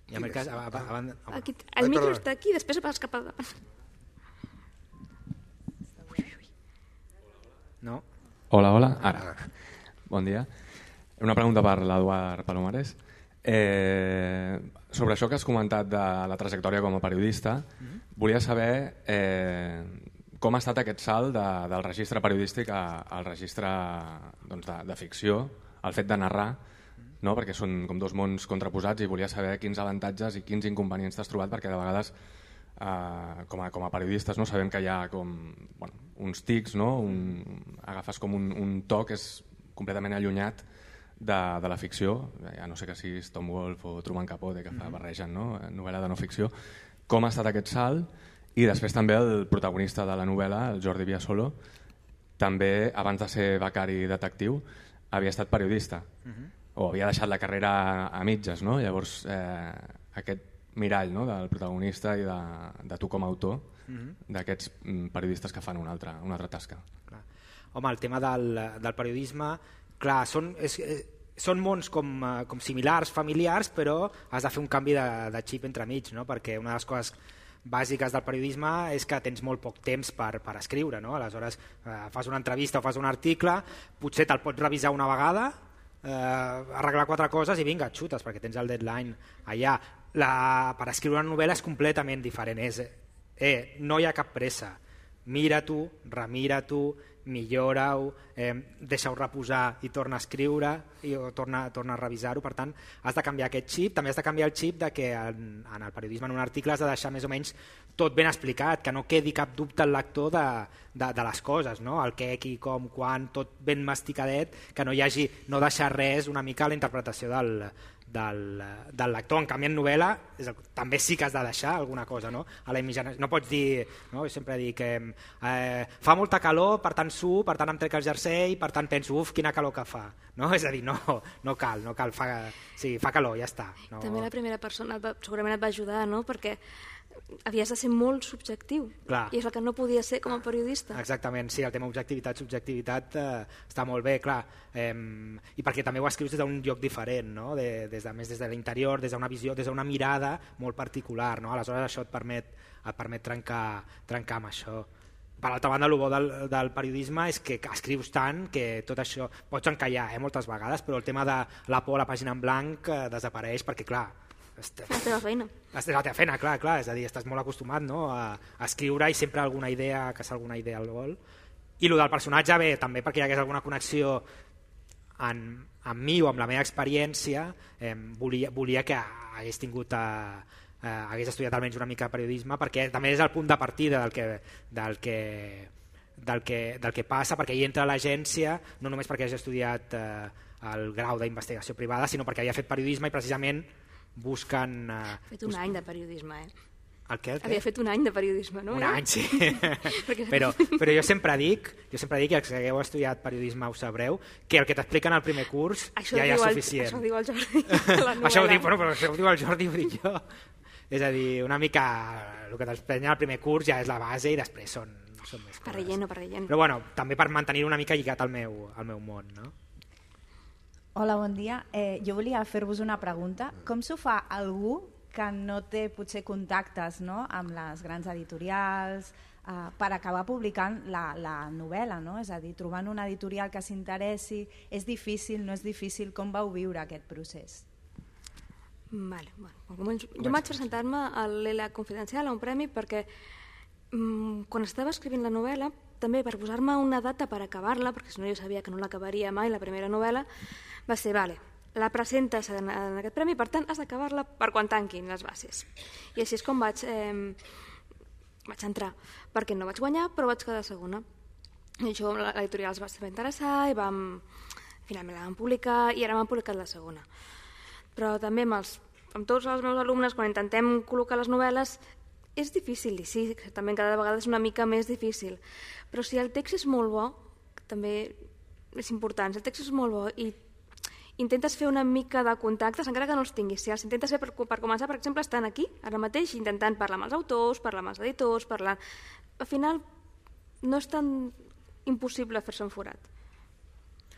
I en el cas, abans... Aquí, el micro està aquí, després vas cap a davant. No? Hola, hola. Ara. Bon dia. Una pregunta per l'Eduard Palomares. Eh, sobre això que has comentat de la trajectòria com a periodista, mm-hmm. volia saber eh, com ha estat aquest salt de, del registre periodístic a, al registre doncs, de, de ficció, el fet de narrar, no? Perquè són com dos mons contraposats, i volia saber quins avantatges i quins inconvenients t'has trobat, perquè de vegades eh, com, a, com a periodistes no sabem que hi ha com, bueno, uns tics, no? un, agafes com un, un to que és completament allunyat de, de la ficció, ja no sé que siguis Tom Wolfe o Truman Capote, que fa barregen, no? Novel·la de no ficció. Com ha estat aquest salt? I després també el protagonista de la novel·la, el Jordi Viasolo, també abans de ser becari detectiu havia estat periodista, uh-huh. o havia deixat la carrera a mitges, no? Llavors eh, aquest mirall, no? Del protagonista i de, de tu com a autor, uh-huh. d'aquests periodistes que fan una altra, una altra tasca. Clar. Home, el tema del, del periodisme, clar, són, és, són mons com, com similars, familiars, però has de fer un canvi de, de xip entremig, no? Perquè una de les coses bàsiques del periodisme és que tens molt poc temps per, per escriure, no? Aleshores eh, fas una entrevista o fas un article, potser te'l pots revisar una vegada, eh, arreglar quatre coses i vinga, xutes, perquè tens el deadline allà. La, per escriure una novel·la és completament diferent, és, eh, no hi ha cap pressa, mira-t'ho, remira-t'ho, millora-ho, eh, deixa-ho reposar i torna a escriure i o torna, torna a revisar-ho. Per tant, has de canviar aquest xip. També has de canviar el xip de que en, en el periodisme, en un article, has de deixar més o menys tot ben explicat, que no quedi cap dubte al lector de, de, de les coses, no? El què, qui, com, quan, tot ben masticadet, que no hi hagi, no deixar res una mica a la interpretació del, del, del lector. En canvi, en novel·la és el, també sí que has de deixar alguna cosa, no? A la imaginació. No pots dir, no? Jo sempre dic que eh, fa molta calor, per tant suo, per tant em trec el jersei, per tant penso, uf, quina calor que fa, no? És a dir, no, no cal, no cal, fa, sí, fa calor, ja està. No... També la primera persona va, segurament et va ajudar, no? Perquè havies de ser molt subjectiu. Clar. I és el que no podia ser com a periodista. Exactament, sí, el tema objectivitat, subjectivitat eh, està molt bé, clar, eh, i perquè també ho escrius des d'un lloc diferent, no? De, des de, més des de l'interior, des d'una visió, des d'una mirada molt particular, no? Aleshores això et permet, et permet trencar, trencar amb això. Per altra banda, el bo del, del periodisme és que escrius tant que tot això pots encallar eh, moltes vegades, però el tema de la por a la pàgina en blanc eh, desapareix perquè, clar, la teva feina. La teva feina, clar, clar, és a dir, estàs molt acostumat, no? a, a escriure i sempre alguna idea, que és alguna idea al vol. I el del personatge, bé, també perquè hi hagués alguna connexió en, amb mi o amb la meva experiència, eh, volia, volia que hagués tingut a, eh, hagués estudiat almenys una mica de periodisme, perquè també és el punt de partida del que, del que, del que, del que passa, perquè hi entra a l'agència, no només perquè hagi estudiat eh, el grau d'investigació privada, sinó perquè havia fet periodisme i precisament busquen... Uh, ha fet un busquen... any de periodisme, eh? El què, el què? Havia fet un any de periodisme, no? Un any, sí. però, però jo sempre dic, jo sempre dic, i els que hagueu estudiat periodisme ho sabreu, que el que t'expliquen al primer curs això ja hi ha el, suficient. Això ho diu el Jordi a la això ho diu, bueno, però això ho diu el Jordi, ho dic jo. És a dir, una mica el que t'expliquen al primer curs ja és la base i després són, són més coses. Per relleno, per relleno. Però bueno, també per mantenir una mica lligat al meu, al meu món, no? Hola, bon dia. Eh, jo volia fer-vos una pregunta. Com s'ho fa algú que que no té potser contactes, no?, amb les grans editorials uh, per acabar publicant la, la novel·la, no? És a dir, trobant una editorial que s'interessi, és difícil, no és difícil, com vau viure aquest procés? Vale, bueno, jo vaig presentar-me a l'E L A Confidencial a un premi perquè mmm, quan estava escrivint la novel·la, també per posar-me una data per acabar-la, perquè si no jo sabia que no l'acabaria mai, la primera novel·la, va ser, vale, la presentes en, en aquest premi, per tant has d'acabar-la per quan tanquin les bases. I així és com vaig, eh, vaig entrar, perquè no vaig guanyar, però vaig quedar segona. I això l'editorial es va saber interessar i vam, finalment la vam publicar i ara m'han publicat la segona. Però també amb, els, amb tots els meus alumnes, quan intentem col·locar les novel·les, és difícil, i sí, també cada vegada és una mica més difícil, però si el text és molt bo, també és important, si el text és molt bo i intentes fer una mica de contactes, encara que no els tinguis, si els intentes fer per, per començar, per exemple, estan aquí, ara mateix, intentant parlar amb els autors, parlar amb els editors, parlar... Al final no és tan impossible fer-se un forat.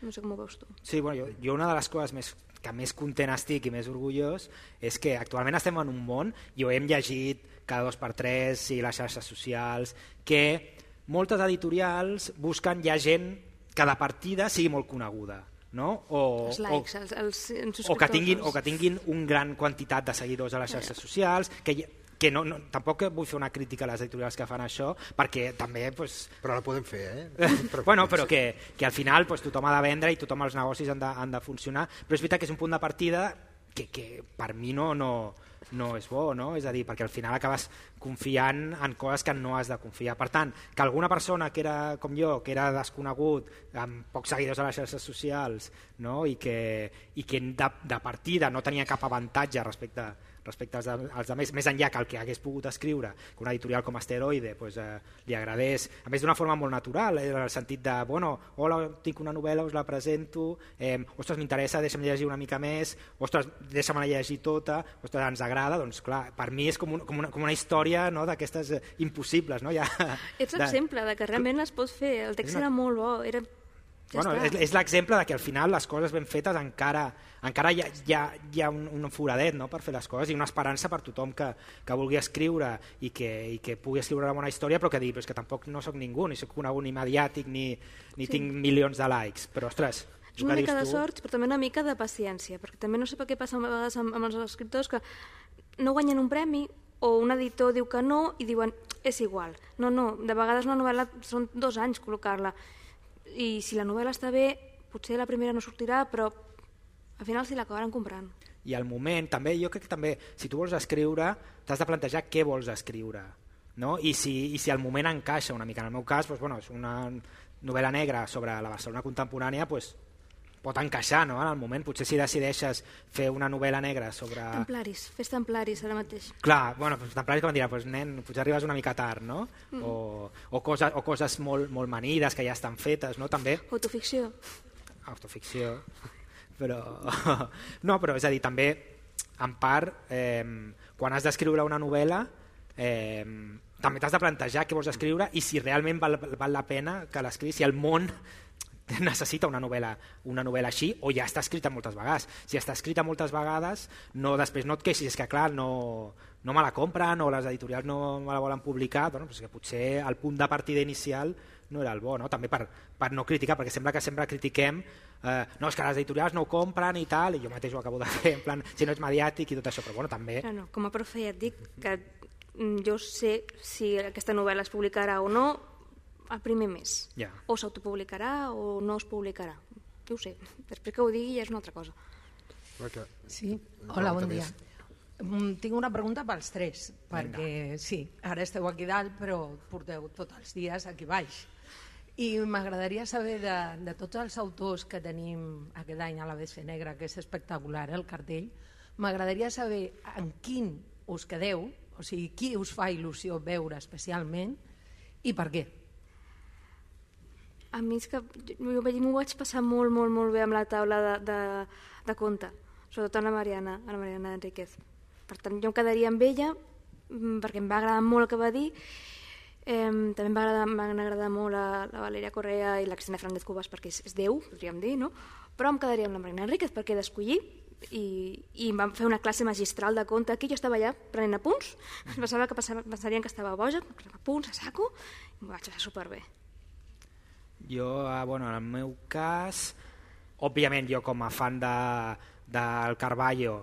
No sé com ho veus tu. Sí, bueno, jo, jo una de les coses més que més content estic i més orgullós és que actualment estem en un món, i ho hem llegit cada dos per tres i les xarxes socials, que moltes editorials busquen ja gent que de partida sigui molt coneguda, no? O, els likes, o, els, els, els o, que tinguin, o que tinguin un gran quantitat de seguidors a les xarxes socials, que que no, no, tampoc vull fer una crítica a les editorials que fan això, perquè també... Pues, però la podem fer, eh? Però, bueno, però que, que al final pues, tothom ha de vendre i tothom els negocis han de, han de funcionar, però és veritat que és un punt de partida que, que per mi no, no, no és bo, no? És a dir, perquè al final acabes confiant en coses que no has de confiar. Per tant, que alguna persona que era com jo, que era desconegut, amb pocs seguidors a les xarxes socials, no? I que, i que de, de partida no tenia cap avantatge respecte respecte als, als altres, més enllà que el que hagués pogut escriure, que una editorial com Asteroide pues, eh, li agradés, a més d'una forma molt natural, eh, en el sentit de, bueno, hola, tinc una novel·la, us la presento, eh, ostres, m'interessa, deixa'm llegir una mica més, ostres, deixa'm-la llegir tota, ostres, ens agrada, doncs clar, per mi és com, un, com, una, com una història, no?, d'aquestes eh, impossibles. No? Ja, Ets l'exemple de... de que realment es pot fer, el text una... era molt bo, era... Ja bueno, és, és l'exemple de que al final les coses ben fetes encara, encara hi ha, hi ha, hi ha un, un foradet, no?, per fer les coses, i una esperança per tothom que, que vulgui escriure i que, i que pugui escriure una bona història, però que digui, però és que tampoc no sóc ningú, ni soc conegut ni mediàtic, ni, ni sí. tinc milions de likes, però ostres... És una mica de sort, però també una mica de paciència, perquè també no sé per què passa a vegades amb, amb els escriptors que no guanyen un premi o un editor diu que no i diuen és igual. No, no, de vegades una novel·la són dos anys col·locar-la, i si la novel·la està bé, potser la primera no sortirà, però al final s'hi l'acabaran comprant. I al moment, també, jo crec que també, si tu vols escriure, t'has de plantejar què vols escriure, no? I si, i si al moment encaixa una mica. En el meu cas, doncs, bueno, és una novel·la negra sobre la Barcelona contemporània, doncs, pot encaixar, no?, en el moment. Potser si decideixes fer una novel·la negra sobre... Templaris, fes templaris ara mateix. Clar, bueno, doncs templaris que van dir, pues, nen, potser arribes una mica tard, no? Mm. O, o, coses, o coses molt, molt manides que ja estan fetes, no?, també. Autoficció. Autoficció. Però... No, però és a dir, també, en part, eh, quan has d'escriure una novel·la, eh, també t'has de plantejar què vols escriure i si realment val, val la pena que l'escrius, si el món necessita una novel·la, una novel·la així, o ja està escrita moltes vegades. Si està escrita moltes vegades, no, després no et queixis, és que clar, no, no me la compren o les editorials no me la volen publicar, bueno, doncs que potser el punt de partida inicial no era el bo, no? També per, per no criticar, perquè sembla que sempre critiquem, eh, no, és que les editorials no ho compren i tal, i jo mateix ho acabo de fer, en plan, si no ets mediàtic i tot això, però bueno, també... No, no, com a profe ja et dic que jo sé si aquesta novel·la es publicarà o no el primer mes. Yeah. O s'autopublicarà o no es publicarà. Jo ho sé. Després que ho digui ja és una altra cosa. Sí, hola, bon dia. Tinc una pregunta pels tres, perquè sí, ara esteu aquí dalt, però porteu tots els dies aquí baix. I m'agradaria saber de, de tots els autors que tenim aquest any a l'A B C Negra, que és espectacular, el cartell, m'agradaria saber en quin us quedeu, o sigui, qui us fa il·lusió veure especialment i per què. A mi és que jo m'ho vaig passar molt, molt, molt bé amb la taula de, de, de conte, sobretot amb la Mariana, amb la Mariana Enríquez. Per tant, jo em quedaria amb ella perquè em va agradar molt el que va dir. Eh, també em va agradar, em van agradar molt la, la Valeria Correa i la Cristina Fernández Cubas perquè és, és Déu, podríem dir, no? Però em quedaria amb la Mariana Enríquez perquè d'escollir i, i em van fer una classe magistral de conte aquí, jo estava allà prenent apunts, pensava que pensarien que estava boja, prenent apunts a saco, i m'ho vaig passar superbé. Jo, bueno, en el meu cas, òbviament jo com a fan de, del Carballo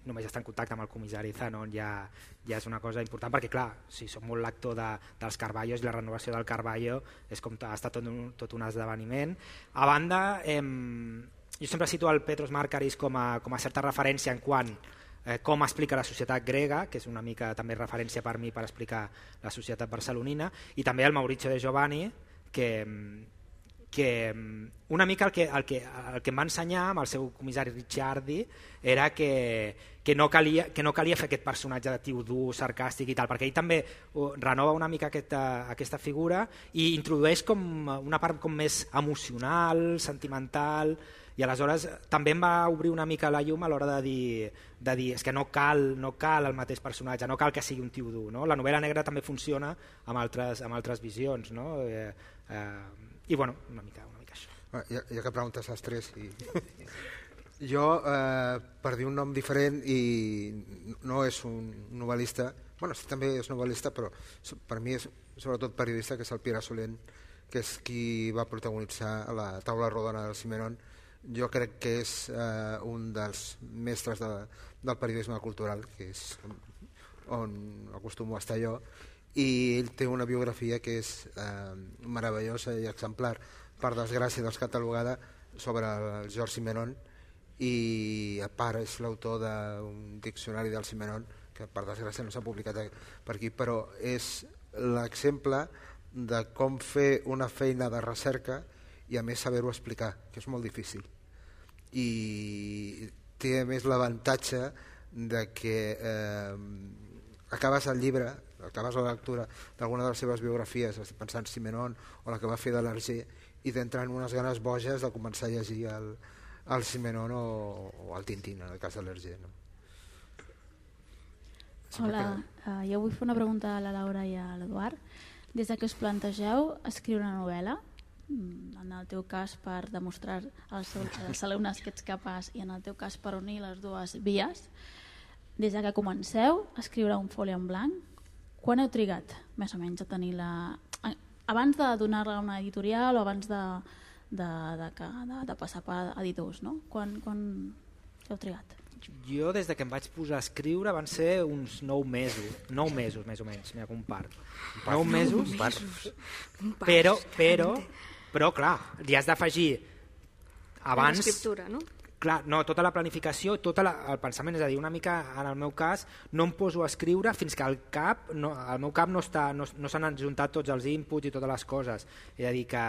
només estar en contacte amb el comissari Zanon ja, ja és una cosa important, perquè clar, si som molt lector de, dels Carballos, la renovació del Carballo és com ha estat tot un, tot un esdeveniment. A banda, eh, jo sempre situo el Petros Markaris com a, com a certa referència en quant eh, com explica la societat grega, que és una mica també referència per mi per explicar la societat barcelonina, i també el Maurizio De Giovanni, que que una mica el que, el, que, el que em va ensenyar amb el seu comissari Ricciardi era que, que, no calia, que no calia fer aquest personatge de tio dur, sarcàstic i tal, perquè ell també renova una mica aquesta, aquesta figura i introdueix com una part com més emocional, sentimental, i aleshores també em va obrir una mica la llum a l'hora de dir, de dir és que no cal, no cal el mateix personatge, no cal que sigui un tio dur. No? La novel·la negra també funciona amb altres, amb altres visions. No? Eh, eh, I bueno, una mica, una mica això. Ah, ja, ja que preguntes als tres... I... jo, eh, per dir un nom diferent, i no és un novel·lista, bueno, sí, també és novel·lista, però per mi és sobretot periodista, que és el Pere Solent, que és qui va protagonitzar la taula rodona del Simenon. Jo crec que és eh, un dels mestres de, del periodisme cultural, que és on acostumo a estar jo, i ell té una biografia que és eh, meravellosa i exemplar, per desgràcia descatalogada, sobre el George Simenon, i a part és l'autor d'un diccionari del Simenon, que per desgràcia no s'ha publicat per aquí, però és l'exemple de com fer una feina de recerca i a més saber-ho explicar, que és molt difícil. I té a més l'avantatge de que eh, acabes el llibre, acabes la lectura d'alguna de les seves biografies, estic pensant Simenon o la que va fer de l'Hergé, i t'entren unes ganes boges de començar a llegir el, el Simenon o, o el Tintín, en el cas de l'Hergé. No? Hola, que... uh, jo vull fer una pregunta a la Laura i a l'Eduard. Des de que us plantegeu escriure una novel·la, en el teu cas per demostrar als, als alumnes que ets capaç i en el teu cas per unir les dues vies, des de que comenceu a escriure un foli en blanc, quan heu trigat més o menys a tenir la... abans de donar-la a una editorial o abans de, de, de, de, de passar per editors, no? Quan, quan heu trigat? Jo des de que em vaig posar a escriure van ser uns nou mesos, nou mesos més o menys, mira, un part. Nou mesos, però, però, però clar, li has d'afegir abans... L'escriptura, no? Clar, no, tota la planificació, tot el pensament, és a dir, una mica en el meu cas no em poso a escriure fins que el cap, no, el meu cap no, està, no, no s'han adjuntat tots els inputs i totes les coses, és a dir que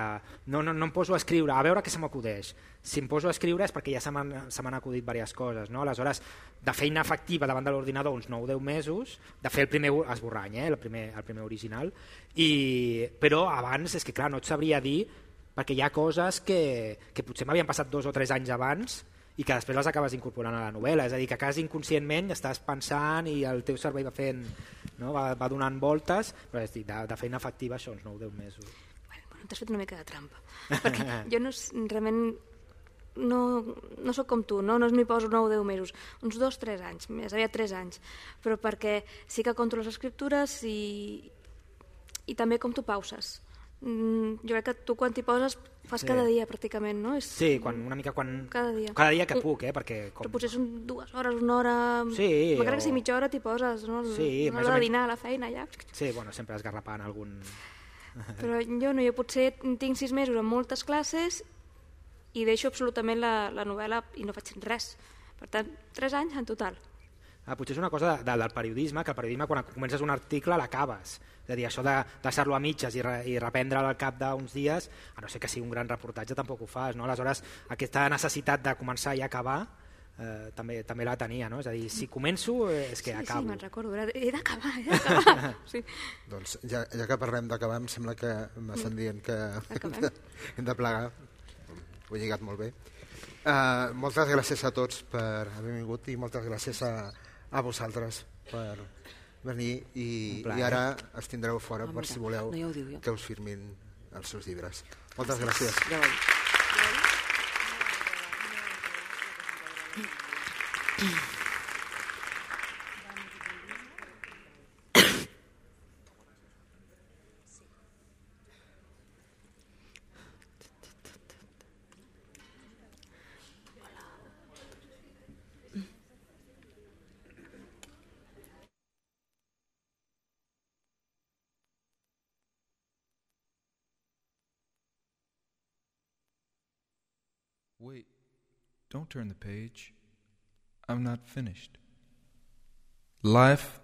no, no, no em poso a escriure, a veure què se m'acudeix. Si em poso a escriure és perquè ja se m'han acudit diverses coses, no? Aleshores, de feina efectiva davant de l'ordinador uns nou o deu mesos, de fer el primer esborrany, eh? el, primer, el primer original, i, però abans és que clar, no et sabria dir, perquè hi ha coses que, que potser m'havien passat dos o tres anys abans i que després les acabes incorporant a la novel·la, és a dir, que quasi inconscientment estàs pensant i el teu cervell va fent, no? va, va donant voltes, però és dir, de, de feina efectiva això, uns nou o deu mesos. Bueno, t'has fet una mica de trampa, perquè jo no, realment no, no sóc com tu, no, no m'hi poso nou o deu mesos, uns dos o tres anys, més aviat tres anys, però perquè sí que compto les escriptures i, i també com tu pauses. Mm, jo crec que tu quan t'hi poses fas sí. cada dia pràcticament, no? És... Sí, quan, una mica quan... Cada dia. Cada dia que puc, eh? Perquè com... Però potser són dues hores, una hora... Sí, m'agrada o... que si mitja hora t'hi poses, no? Sí, una hora de dinar a la feina, ja. Sí, bueno, sempre esgarrapant algun... Però jo no, jo potser tinc sis mesos amb moltes classes i deixo absolutament la, la novel·la i no faig res. Per tant, tres anys en total. Ah, potser és una cosa de, de, del periodisme, que el periodisme quan comences un article l'acabes. És a dir, això de deixar-lo a mitges i, re, i reprendre'l al cap d'uns dies, a no ser que sigui un gran reportatge, tampoc ho fas. No? Aleshores, aquesta necessitat de començar i acabar eh, també, també la tenia. No? És a dir, si començo eh, és que sí, acabo. Sí, me'n recordo, he d'acabar, he d'acabar. Sí. Doncs ja, ja que parlem d'acabar, em sembla que m'estan dient que hem de, hem de plegar. Ho he lligat molt bé. Uh, moltes gràcies a tots per haver vingut i moltes gràcies a, a vosaltres per venir i, i ara es tindreu fora oh, per si voleu no diu, que us firmin els seus llibres. Moltes gràcies. gràcies. Wait, don't turn the page. I'm not finished. Life